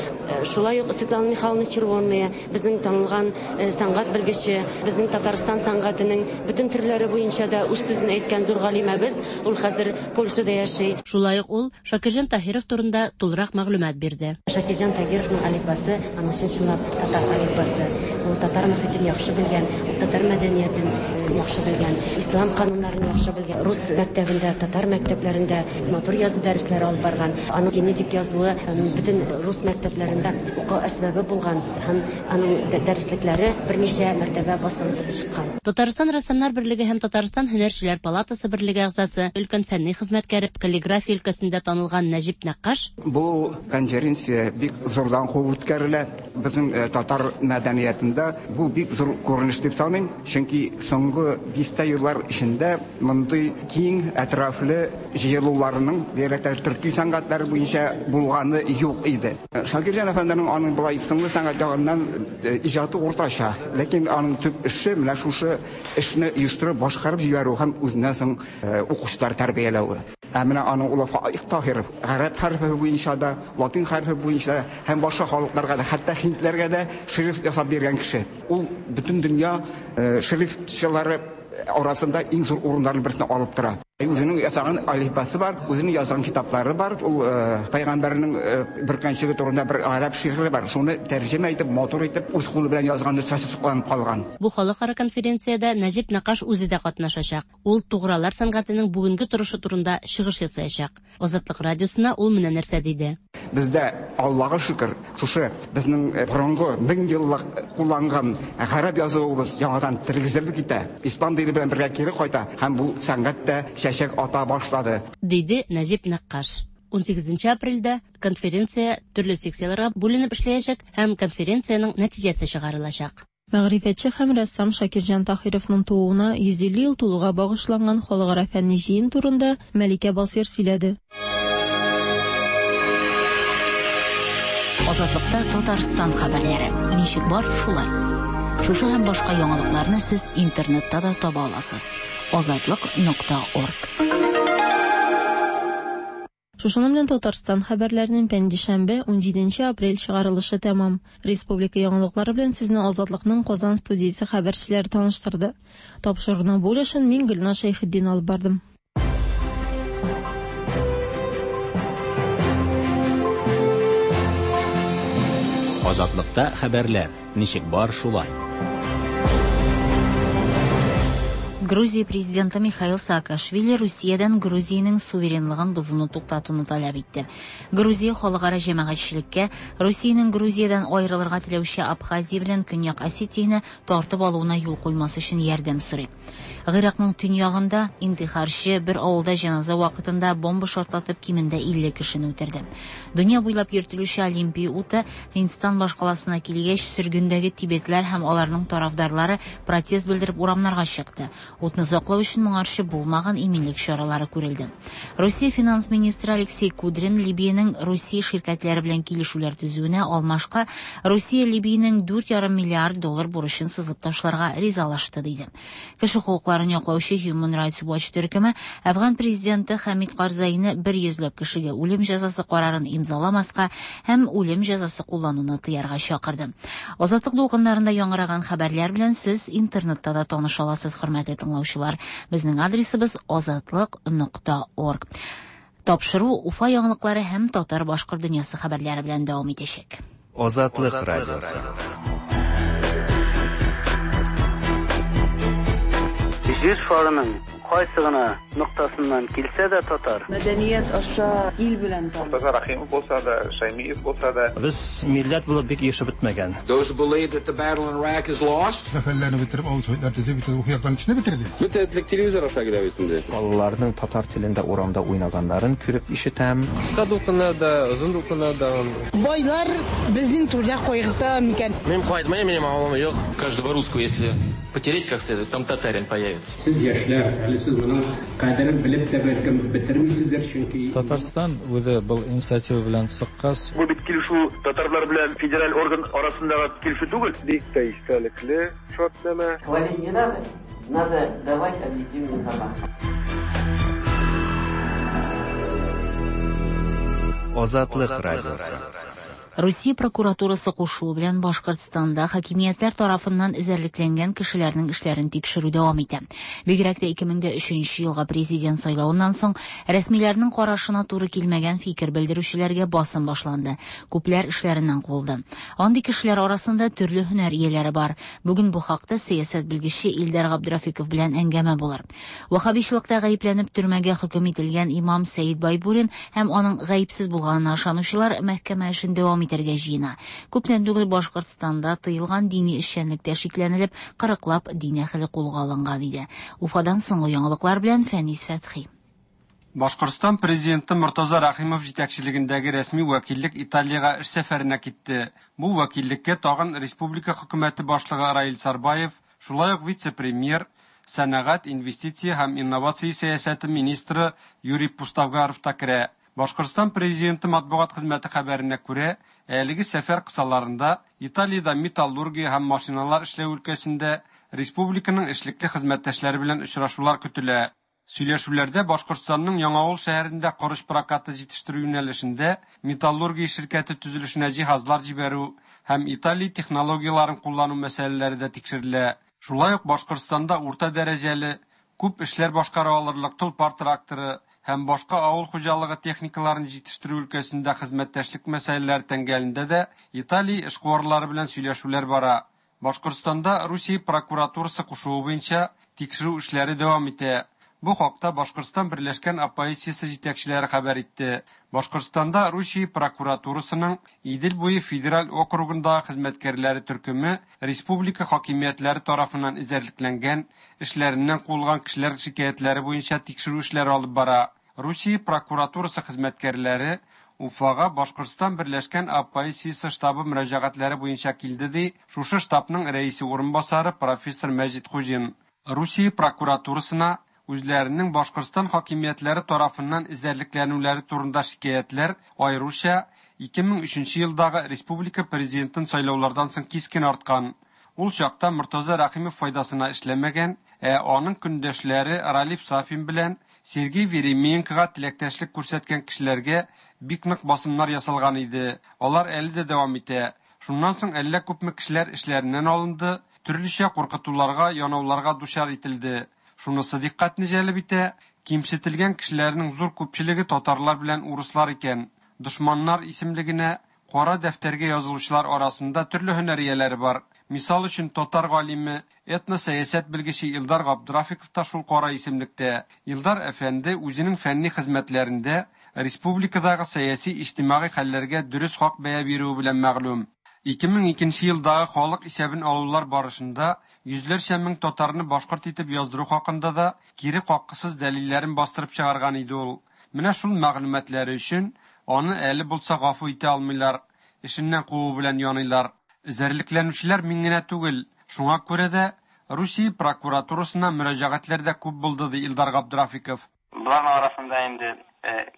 Шулай ук Светлана Михайловна Червонная, безнең танылган сәнгать белгече, безнең Татарстан сәнгатенең бөтен төрләре буенча да үз сүзен әйткән зур галимәбез. Ул хәзер Польшада яши. Шулай ук ул Шакирҗан Таһиров турында тулырак мәгълүмат бирде. Шакирҗан Таһировның әлифбасы, аның чын-чынлап татар әлифбасы. Ул татар мөхитен яхшы белгән, ул татар мәдәниятен яхшы белгән, ислам кануннарын яхшы белгән. Рус мәктәбендә, татар мәктәпләрендә матур язу дәресләре алып барган. Аның генетик язуы бөтен рус мәктәпләрендә уку әсбабы булган һәм аның дәреслекләре берничә мәртәбә басылып чыккан. Татарстан рәссамнар Язучылар берлеге һәм Татарстан Һөнәрчеләр палатасы берлеге әгъзасы, өлкән фәнни хезмәткәре, каллиграфия өлкәсендә танылган Нәҗип Нәккаш. Бу конференция бик зурдан куып үткәрелә. Безнең татар мәдәниятендә бу бик зур күренеш дип саныйм, чөнки соңгы дистә еллар эчендә мондый киң әтрафлы җыелуларның бигрәк тә төрки сәнгатьләр буенча булганы юк иде. Шакирҗан әфәнденең аның болай сынлы сәнгать ягыннан иҗаты уртача, ләкин аның төп эше менә шушы эшне оештырып башкарып җибәрү һәм үзеннән соң укучылар тәрбияләү. Ә менә аның улы Фаик Таһиров гарәп хәрефе буенча да, латин хәрефе буенча да һәм башка халыкларга да, хәтта һиндләргә дә шрифт ясап биргән кеше. Ул бөтен дөнья шрифтчылары арасында иң зур урыннарның берсен алып тора. Үзенең ясаган әлифбасы бар, үзенең язган китаплары бар. Ул пәйгамбәрнең бөркәнчеге турында бер гарәп шигыре бар. Шуны тәрҗемә итеп, матур итеп, үз кулы белән язган нөсхәсе сакланып калган. Бу халыкара конференциядә Нәҗип Нәккаш үзе дә катнашачак. Ул тугралар сәнгатенең бүгенге торышы турында чыгыш ясаячак. Азатлык радиосына ул менә нәрсә диде. Бездә Аллага шөкер, шушы безнең борынгы мең еллык кулланган гарәп язуыбыз яңадан тергезелеп китә. Ислам дине белән бергә кире кайта һәм бу сәнгать тә чәчәк ата башлады, диде Нәҗип Нәккаш. Унсигезенче апрельдә конференция төрле секцияләргә бүленеп эшләячәк һәм конференциянең нәтиҗәсе чыгарылачак. Мәгърифәтче һәм рәссам Шакирҗан Таһировның тууына йөз илле ел тулуга багышланган халыкара фәнни җыен турында Мәликә Басир сөйләде. Азатлыкта Татарстан хәбәрләре. Ничек бар, шулай. Шушы һәм башка яңалыкларны сез интернетта да таба аласыз. азатлык нокта орг. Шушының белән Татарстан хәбәрләренең пәнҗешәмбе унҗиденче апрель чыгарылышы тәмам. Республика яңалыклары белән сезне Азатлыкның Казан студиясе хәбәрчеләре таныштырды. Тапшыруның бу өлешен мин Гөлназ Шәйхетдин алып бардым. Азатлыкта хәбәрләр ничек бар, шулай. Грузия президенты Михаил Саакашвили Русиядән Грузиянең суверенлыгын бозуны туктатуны таләп итте. Грузия халыкара җәмәгатьчелеккә Русиянең Грузиядән аерылырга теләүче Абхазия белән Көньяк Осетияне тартып алуына юл куймас өчен ярдәм сорый. Гыйракның төньягында интихарчы бер авылда җеназа вакытында бомба шартлатып кимендә илле кешене үтерде. Дөнья буйлап йөртелүче Олимпия уты Һиндстан башкаласына килгәч, сөргендәге тибетләр һәм аларның тарафдарлары протест белдереп урамнарга чыкты. Утны саклау өчен моңарчы булмаган иминлек чаралары күрелде. Русия финанс министры Алексей Кудрин Либиянең Русия ширкәтләре белән килешүләр төзүенә алмашка Русия Либиянең дүрт ярым миллиард доллар бурычын сызып ташларга ризалашты, диде. Кеше хокукларын яклаучы Human Rights Watch төркеме Афган президенты Хамид Карзайны бер йөзләп кешегә үлем җәзасы карарын имзаламаска һәм үлем җәзасы куллануны тыярга чакырды. Азатлык дулкыннарында яңгыраган хәбәрләр белән сез интернетта да таныша аласыз, хөрмәтле тыңлаучылар. Безнең адресыбыз азатлык нокта орг. Тапшыру Уфа яңалыклары һәм татар-башкорт дөньясы хәбәрләре белән дәвам итәчәк. Азатлык радиосы. Җир шарының кайсы гына ноктасыннан килсә дә татар. Мәдәният аша ил белән таныш. Муртаза Рахимов булса да, Шаймиев булса да. Без милләт булып бик ешып бетмәгән. Those who believe that the battle in Iraq is lost. Сәфәрләрне бетереп, авыл советлар төзеп, бөтен рухи яктан кешене бетерде. Бөтен телевизор аша килә бит инде. Балаларның татар телендә урамда уйнаганнарын күреп ишетәм. Кыска дулкыннарда, озын дулкыннарда. Байлар безнең түрдә кайгырта микән? Мин кайтмыйм, минем авылым юк. Каждого русского, если потереть как следует, там татарин появится. Сез яшьләр, әле сез моның кадерен белеп тә бәлкем бетермисездер, чөнки Татарстан үзе был инициатива белән чыккач. Бу бит килешү татарлар белән федераль орган арасындагы килешү түгел. Бик тә истәлекле шартнамә. Хвалить не надо, надо давать объективную информацию. Азатлык радиосы. Русия прокуратурасы кушуы белән Башкортстанда хакимиятләр тарафыннан эзәрлекләнгән кешеләрнең эшләрен тикшерү дәвам итә. Бигрәк тә ике мең дә өченче елга президент сайлавыннан соң рәсмиләрнең карашына туры килмәгән фикер белдерүчеләргә басым башланды. Күпләр эшләреннән куылды. Андый кешеләр арасында төрле һөнәр ияләре бар. Бүген бу хакта сәясәт белгече Илдар Габдрафиков белән әңгәмә булыр. Ваххабичылыкта гаепләнеп төрмәгә хөкем ителгән имам Сәид Байбурин һәм аның гаепсез булганына ышанучылар мәхкәмә эшен дәвам дәвам итәргә җыена. Күптән түгел Башкортстанда тыелган дини эшчәнлектә шикләнелеп, кырыклап дин әһеле кулга алынган иде. Уфадан соңгы яңалыклар белән Фәнис Фәтхи. Башкортстан президенты Мортаза Рәхимов җитәкчелегендәге рәсми вәкиллек Италиягә эш сәфәренә китте. Бу вәкиллеккә тагын республика хөкүмәте башлыгы Раил Сарбаев, шулай ук вице-премьер, сәнәгать, инвестиция һәм инновация сәясәте министры Юрий Пустовгаров та керә. Башкортстан президенты матбугат хезмәте хәбәренә күрә, әлеге сәфәр кысаларында Италиядә металлургия һәм машиналар эшләү өлкәсендә республиканың эшлекле хезмәттәшләре белән очрашулар көтелә. Сөйләшүләрдә Башкортстанның Яңавыл шәһәрендә корыч прокаты җитештерү юнәлешендә металлургия ширкәте төзелешенә җиһазлар җибәрү һәм Италия технологияләрен куллану мәсьәләләре дә тикшерелә. Шулай ук Башкортстанда урта дәрәҗәле, күп эшләр башкара алырлык Тулпар тракторы һәм башка авыл хуҗалыгы техникаларын җитештерү өлкәсендә хезмәттәшлек мәсьәләләре тәңгәлендә дә Италия эшкуарлары белән сөйләшүләр бара. Башкортстанда Русия прокуратурасы кушуы буенча тикшерү эшләре дәвам итә. Бу хакта Башкортстан Берләшкән оппозициясе җитәкчеләре хәбәр итте. Башкортстанда Русия прокуратурасының Идел буе федераль округындагы хезмәткәрләре төркеме республика хакимиятләре тарафыннан эзәрлекләнгән, эшләреннән куылган кешеләр шикаятьләре буенча тикшерү эшләре алып бара. Русия прокуратурасы хезмәткәрләре Уфага Башкортстан Берләшкән оппозициясе штабы мөрәҗәгатьләре буенча килде, ди шушы штабның рәисе урынбасары профессор Мәҗит Хуҗин. Русия прокуратурасына үзләренең Башкортстан хакимиятләре тарафыннан эзәрлекләнүләре турында шикаятьләр аеруча ике мең өченче елдагы республика президентын сайлаулардан соң кискен арткан. Ул чакта Мортаза Рәхимов файдасына эшләмәгән, ә аның көндәшләре Ралиф Сафин белән Сергей Веременкога теләктәшлек күрсәткән кешеләргә бик нык басымнар ясалган иде. Алар әле дә дәвам итә. Шуннан соң әллә күпме кешеләр эшләреннән алынды, төрлечә куркытуларга, янауларга дучар ителде. Шунысы дикъкатне җәлеп итә, кимсетелгән кешеләрнең зур күпчелеге татарлар белән урыслар икән. Дошманнар исемлегенә кара дәфтәргә язылучылар арасында төрле һөнәр ияләре бар. Мисал өчен татар галиме, этносәясәт белгече Илдар Габдрафиков та шул кара исемлектә. Илдар әфәнде үзенең фәнни хезмәтләрендә республикадагы сәяси иҗтимагый хәлләргә дөрес хак бәя бирүе белән мәгълүм. ике мең икенче елдагы халык исәбен алулар барышында йөзләрчә мең татарны башкорт итеп яздыру хакында да кире каккысыз дәлилләрен бастырып чыгарган иде ул. Менә шул мәгълүматлары өчен аны әле булса гафу итә алмыйлар, эшеннән куу белән яныйлар. Эзәрлекләнүчеләр мин генә түгел, шуңа күрә дә Русия прокуратурасына мөрәҗәгатьләр дә күп булды, ди Илдар Габдрафиков. Буларның арасында инде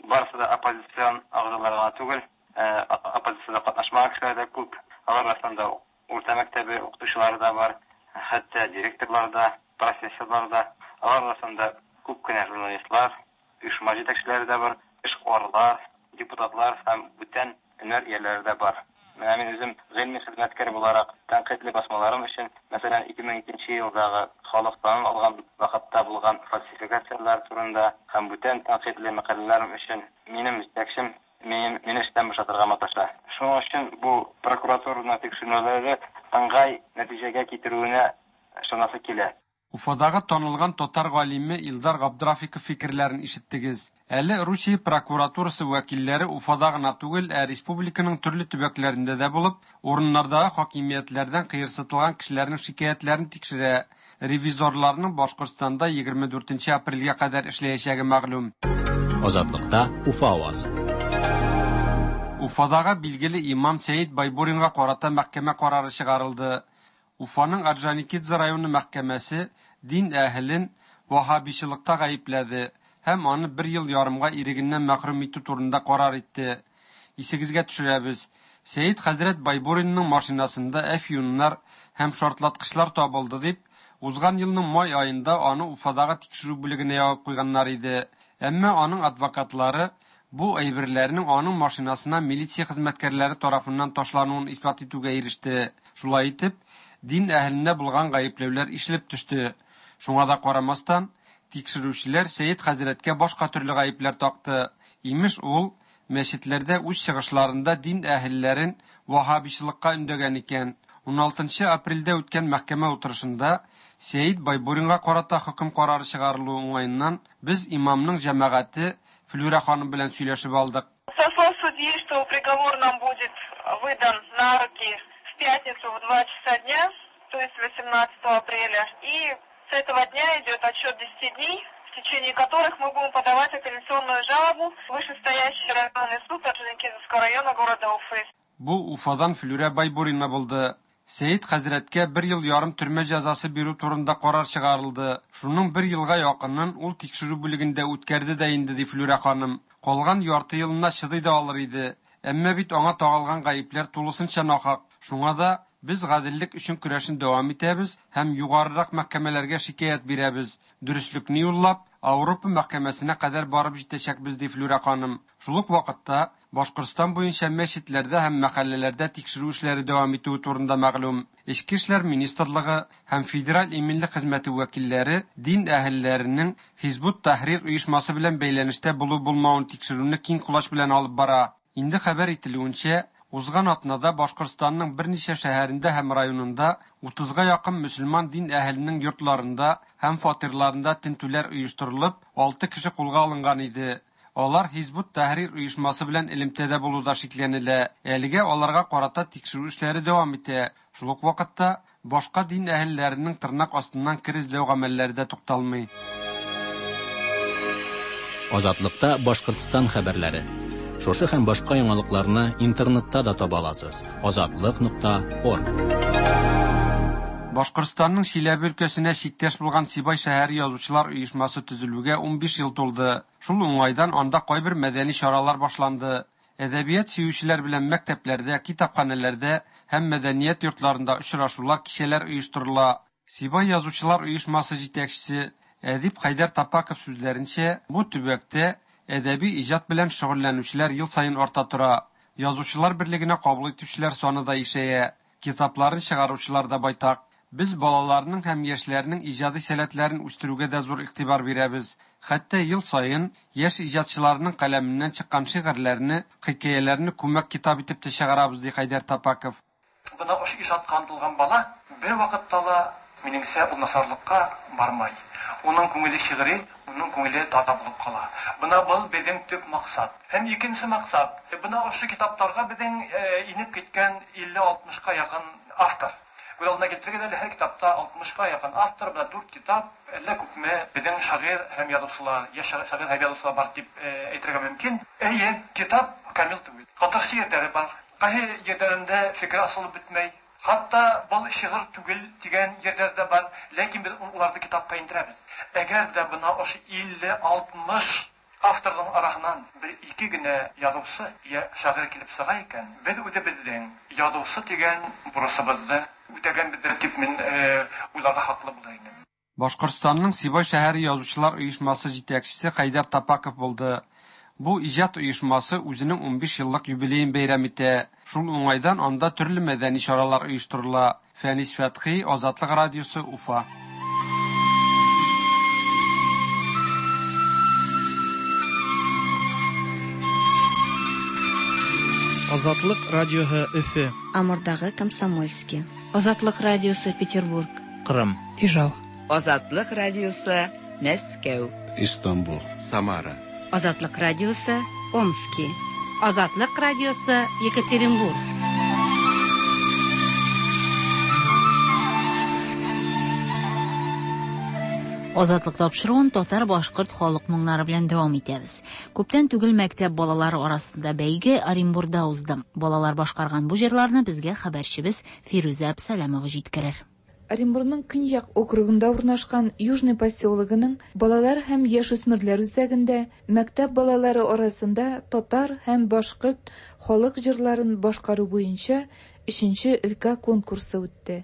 барысы да оппозицион агзалар гына түгел, оппозициядә катнашмаган кешеләр дә күп. Алар арасында урта мәктәбе укытучылары да бар, хәтта директорлар да, профессорлар да. Алар арасында күп кенә журналистлар, оешма җитәкчеләре дә бар, эшкуарлар, депутатлар һәм бүтән һөнәр ияләре дә бар. Менә мин үзем гыйльми хезмәткәр буларак тәнкыйтьле басмаларым өчен, мәсәлән, ике мең икенче елдагы халык санын алган вакытта булган фальсификацияләр турында һәм бүтән тәнкыйтьле мәкаләләрем өчен минем җитәкчем мине эштән бушатырга маташа. Шуның өчен бу прокуратураның тикшеренүләре ыңгай нәтиҗәгә китерүенә ышанасы килә. Уфадагы танылган татар галиме Илдар Габдрафиков фикерләрен ишеттегез. Әле Русия прокуратурасы вәкилләре Уфада гына түгел, ә республиканың төрле төбәкләрендә дә булып, урыннардагы хакимиятләрдән кыерсытылган кешеләрнең шикаятьләрен тикшерә. Ревизорларның Башкортстанда егерме дүртенче апрельгә кадәр эшләячәге мәгълүм. Азатлыкта Уфа авазы. Уфадагы билгеле имам Сәид Байбуринга карата мәхкәмә карары чыгарылды. Уфаның Орджоникидзе районы мәхкәмәсе дин әһелен ваһһабичылыкта гаепләде һәм аны бер ел ярымга ирегеннән мәхрүм итү турында карар итте. Исегезгә төшерәбез. Сәид хәзрәт Байбуринның машинасында әфьюннар һәм шартлаткычлар табылды дип, узган елның май аенда аны Уфадагы тикшерү бүлегенә ябып куйганнар иде. Әмма аның адвокатлары бу әйберләрнең аның машинасына милиция хезмәткәрләре тарафыннан ташлануын исбат итүгә иреште. Шулай итеп, дин әһеленә булган гаепләүләр ишелеп төште. Шуңа да карамастан, тикшерүчеләр Сәид хәзрәткә башка төрле гаепләр такты. Имеш, ул мәчетләрдә үз чыгышларында дин әһелләрен ваһһабичылыкка өндәгән икән. ун алтынчы апрельдә үткән мәхкәмә утырышында Сәид Байбуринга карата хөкем карары чыгарылуы уңаеннан без имамның җәмәгате Флюра ханым белән сөйләшеп алдык. Со слов судьи, что приговор нам будет выдан на руки в пятницу в два часа дня, то есть восемнадцатого апреля. И с этого дня идет отсчет десяти дней, в течение которых мы будем подавать апелляционную жалобу в вышестоящий районный суд Орджоникидзевского района города Уфы. Бу Уфадан Флюрә Байбурина булды. Сәет хәзрәткә бер ел ярым төрмә җәзасы бирү турында карар чыгарылды. Шуның бер елга якынын ул тикшерү бүлегендә үткәрде дә инде, ди Флюрә ханым. Калган ярты елына чыдый да алыр иде. Әмма бит аңа тагылган гаепләр тулысынча нахак. Шуңа да без гаделлек өчен көрәшен дәвам итәбез һәм югарырак мәхкәмәләргә шикаять бирәбез. Дөреслекне юллап, Ауропа мәхкәмәсенә кадәр барып җитәчәкбез, ди Флюрә ханым. Шул ук вакытта Башкортстан буенча мәчетләрдә һәм мәхәлләләрдә тикшерү эшләре дәвам итүе турында мәгълүм. Эчке эшләр министрлыгы һәм Федераль иминлек хезмәте вәкилләре дин әһелләренең Хизбут Тахрир оешмасы белән бәйләнештә булу-булмавын тикшерүне киң колач белән алып бара. Инде хәбәр ителүенчә, узган атнада Башкортстанның берничә шәһәрендә һәм районында утызга якын мөселман дин әһеленең йортларында һәм фатирларында тентүләр оештырылып, алты кеше кулга алынган иде. Алар Хизбут Тахрир оешмасы белән элемтәдә булуда шикләнелә. Әлегә аларга карата тикшерү эшләре дәвам итә. Шул ук вакытта башка дин әһелләренең тырнак астыннан кер эзләү гамәлләре дә тукталмый. Азатлыкта Башкортстан хәбәрләре. Шушы һәм башка яңалыкларны интернетта да таба аласыз. Азатлык нокта орг. Башкортстанның Чиләбе өлкәсенә чиктәш булган Сибай шәһәре язучылар оешмасы төзелүгә унбиш ел тулды. Шул уңайдан анда кайбер мәдәни чаралар башланды. Әдәбият сөючеләр белән мәктәпләрдә, китапханәләрдә һәм мәдәният йортларында очрашулар, кичәләр оештырыла. Сибай язучылар оешмасы җитәкчесе Әдип Хәйдәр Тапаков сүзләренчә, бу төбәктә әдәби иҗат белән шөгыльләнүчеләр ел саен арта тора. Язучылар берлегенә кабул итүчеләр саны да ишәя, китапларын чыгаручылар да байтак. Без балаларның һәм яшьләрнең иҗади сәләтләрен үстерүгә дә зур игътибар бирәбез. Хәтта ел саен яшь иҗатчыларның каләменнән чыккан шигырьләрне, хикәяләрне күмәк китап итеп тә чыгарабыз, ди Хәйдәр Тапаков. Бына ошо ижатка ынтылган бала бер вакытта ла минеңсә ул насарлыкка бармай. Уның күңеле шигъри, уның күңеле тата булып кала. Бына был беҙҙең төп маҡсат. Һәм икенсе маҡсат, бына ошо китаптарға беҙҙең инеп киткән илле алтмышҡа яҡын автор. Күҙ алдына килтергән әле һәр китапта алтмышҡа яҡын автор, бына дүрт китап, әллә күпме беҙҙең шағир һәм яҙыусылар, йәш шағир һәм яҙыусылар бар тип әйтергә мөмкин. Эйе, китап камил түгел. Ҡатыршы ерҙәре бар. Ҡайһы ерҙәрендә фекер асылып бөтмәй. Хатта был шиғыр түгел тигән ерҙәр ҙә бар, ләкин беҙ уларҙы китапҡа индерәбеҙ. Әгәр ҙә бына ошо илле алтмыш авторҙың араһынан бер ике генә яҙыусы йә шағир килеп сыға икән, беҙ үҙебеҙҙең яҙыусы тигән бурысыбыҙҙы үтәгәнбеҙҙер тип мин уйларға хаҡлы булыр инем. Башҡортостандың Сибай шәһәре язучылар оешмасы җитәкчесе Хәйдәр Тапаков булды. Бу иҗат оешмасы үзенең унбиш еллык юбилеен бәйрәм итә. Шул уңайдан анда төрле мәдәни чаралар оештырыла. Фәнис Фәтхи, Азатлык радиосы, Уфа. Азатлык радиоһы Өфө. Амурдагы Комсомольский. Азатлык радиосы Петербург. Кырым. Ижау. Азатлык радиосы Мәскәү. Истанбул. Самара. Азатлык радиосы Омски. Азатлык радиосы Екатеринбург. Азатлык тапшыруын татар башкорт халык моңнары белән дәвам итәбез. Күптән түгел мәктәп балалары арасында бәйге Оренбурда узды. Балалар башкарган бу җырларны безгә хәбәрчебез Фирүзә Әбсәләмова җиткерер. Оренбургның Көньяк округында урнашкан Южный поселогының балалар һәм яшүсмерләр үзәгендә мәктәп балалары арасында татар һәм башкорт халык җырларын башкару буенча өченче өлкә конкурсы үтте.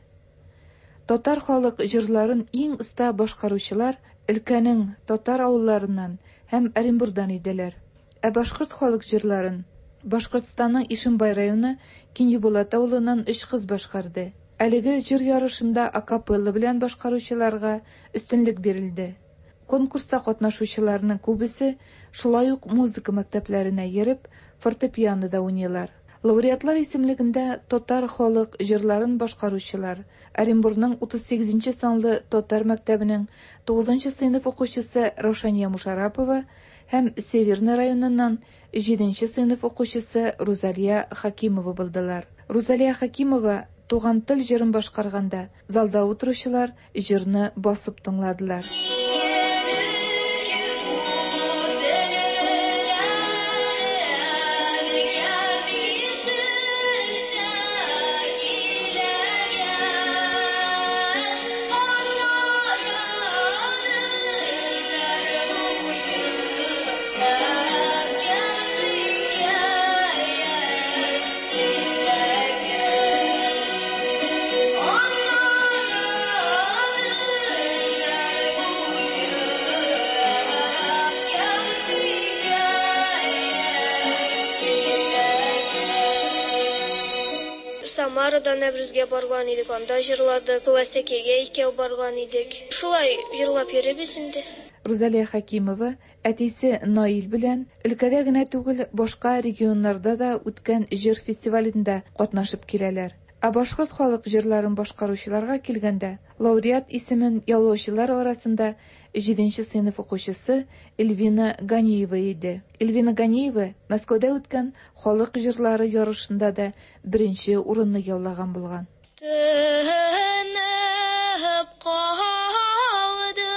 Татар халык җырларын иң оста башкаручылар өлкәнең татар авылларыннан һәм Оренбургдан иделәр. Ә башкорт халык җырларын Башкортстанның Ишембай районы Киньебулат авылыннан өч кыз башкарды. Әлеге җыр ярышында акапелла белән башкаручыларга өстенлек бирелде. Конкурста катнашучыларның күбесе шулай ук музыка мәктәпләренә йөреп, фортепианода уйныйлар. Лауреатлар исемлегендә татар халык җырларын башкаручылар Оренбургның утыз сигезенче санлы татар мәктәбенең тугызынчы сыйныф укучысы Раушания Мушарапова һәм Северный районыннан җиденче сыйныф укучысы Рузалия Хакимова булдылар. Рузалия Хакимова Туган тел җырын башкарганда, залда утыручылар җырны басып тыңладылар. Самарада Нәврүзгә барган идек, анда җырладык, Ләсәкәгә икәү барган идек. Шулай җырлап йөрибез инде. Рузалия Хакимова әтисе Наил белән өлкәдә генә түгел, башка регионнарда да үткән җыр фестивалендә катнашып киләләр. Ә башкорт халык җырларын башкаручыларга килгәндә, лауреат исемен яулаучылар арасында җиденче сыйныф укучысы Эльвина Ганиева иде. Эльвина Ганиева Мәскәүдә үткән халык җырлары ярышында да беренче урынны яулаган булган. Тынып калды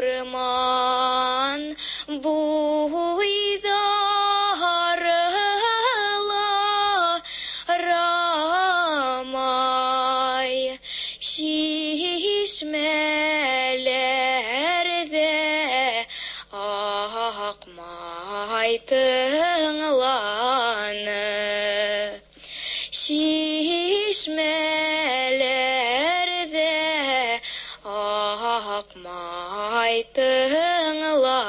урман буйда рамай, чишмәләрдә акмай тыңланы, чишмәләрдә акмай тыңланы.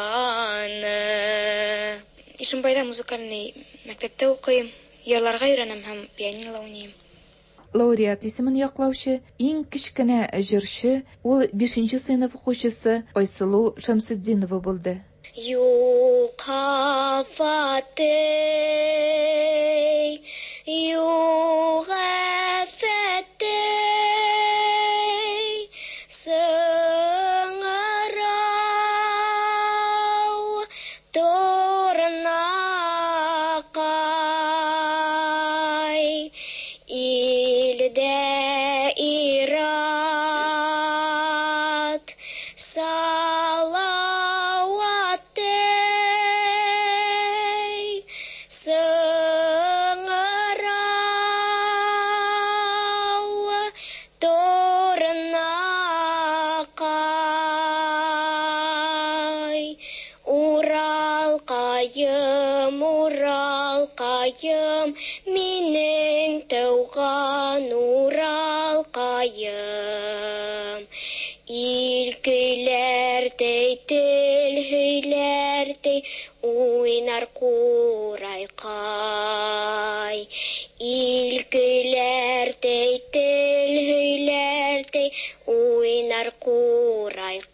Ишембайда музыкальный мәктәптә укыйм, йырларга өйрәнәм һәм пианинода уйныйм. Лауреат исемен яклаучы иң кечкенә җырчы ул бишенче сыйныф укучысы Айсылу Шәмсетдинова булды. Юк афәте, юк афәте, сыңырау торнакай, илдә ират салаваты, сыңырау торнакай, Уралкаем, Уралкаем, минең тыуған Уралкаем. Ил көйләрдәй, тел һөйләрдәй, уйнар ҡурайҡай. Ил көйләрдәй, тел һөйләрдәй, уйнар ҡурайҡай.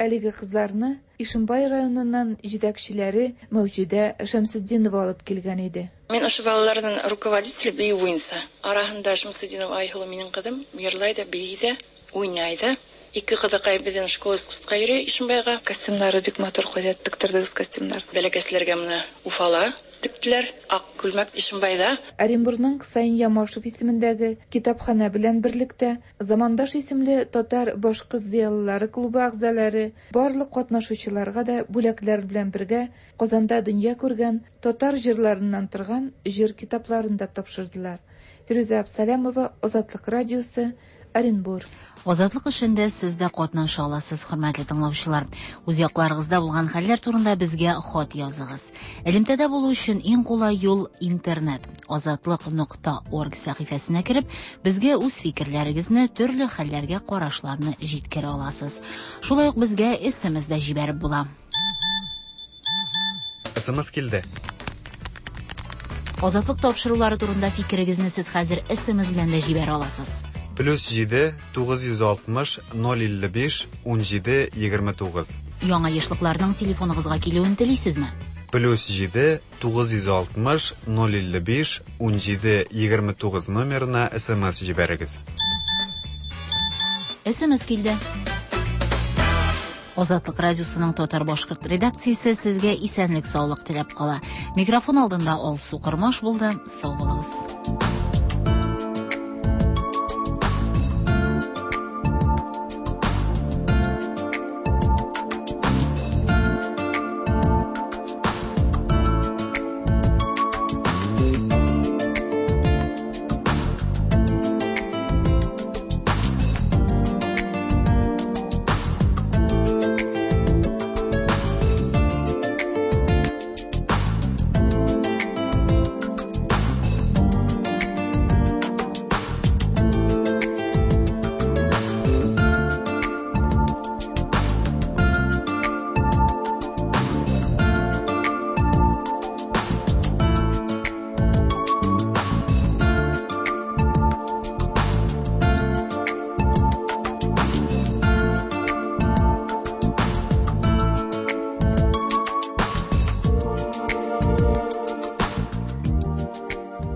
Әлеге кызларны Ишембай районыннан җитәкчеләре Мәүҗидә Шәмсетдинова алып килгән иде. Мин ошо балаларның руководителе бию буенча. Араһында Шәмсетдинова Айһылу минең кызым, йырлай да, бии дә, уйнай да. Ике кызыкай безнең школа искусствоға йөри Ишембайга. Костюмнары бик матур, кайда тектердегез костюмнар? Бәләкәсләргә менә Уфала тектеләр, ак күлмәк Ишембайда. Оренбургның Хусаин Ямашев исемендәге китапханә белән берлектә Замандаш исемле татар башкорт зыялылары клубы әгъзалары барлык катнашучыларга да бүләкләр белән бергә Казанда дөнья күргән татар җырларыннан торган җыр китапларын да тапшырдылар. Фирүзә Абсалямова, Азатлык радиосы, Оренбург. Азатлык эшендә сез дә катнаша аласыз, хөрмәтле тыңлаучылар. Үз якларыгызда булган хәлләр турында безгә хат языгыз. Элемтәдә булу өчен иң кулай юл интернет. Азатлык нокта орг сәхифәсенә кереп, безгә үз фикерләрегезне, төрле хәлләргә карашларны җиткерә аласыз. Шулай ук безгә эс эм эс дә җибәреп була. эс эм эс килде. Азатлык тапшырулары турында фикерегезне сез хәзер эс эм эс белән дә җибәрә аласыз. Плюс җиде, тугыз йөз алтмыш, ноль илле биш, ун җиде, егерме тугыз. Яңа ешлыкларның телефоныгызга килүен телисезме? Плюс җиде, тугыз йөз алтмыш, ноль илле биш, ун җиде, егерме тугыз номерына эс эм эс җибәрегез. эс эм эс килде. Азатлык радиосының татар-башкорт редакциясе сезгә исәнлек-саулык теләп кала. Микрофон алдында Алсу Кормаш булды. Сау булыгыз.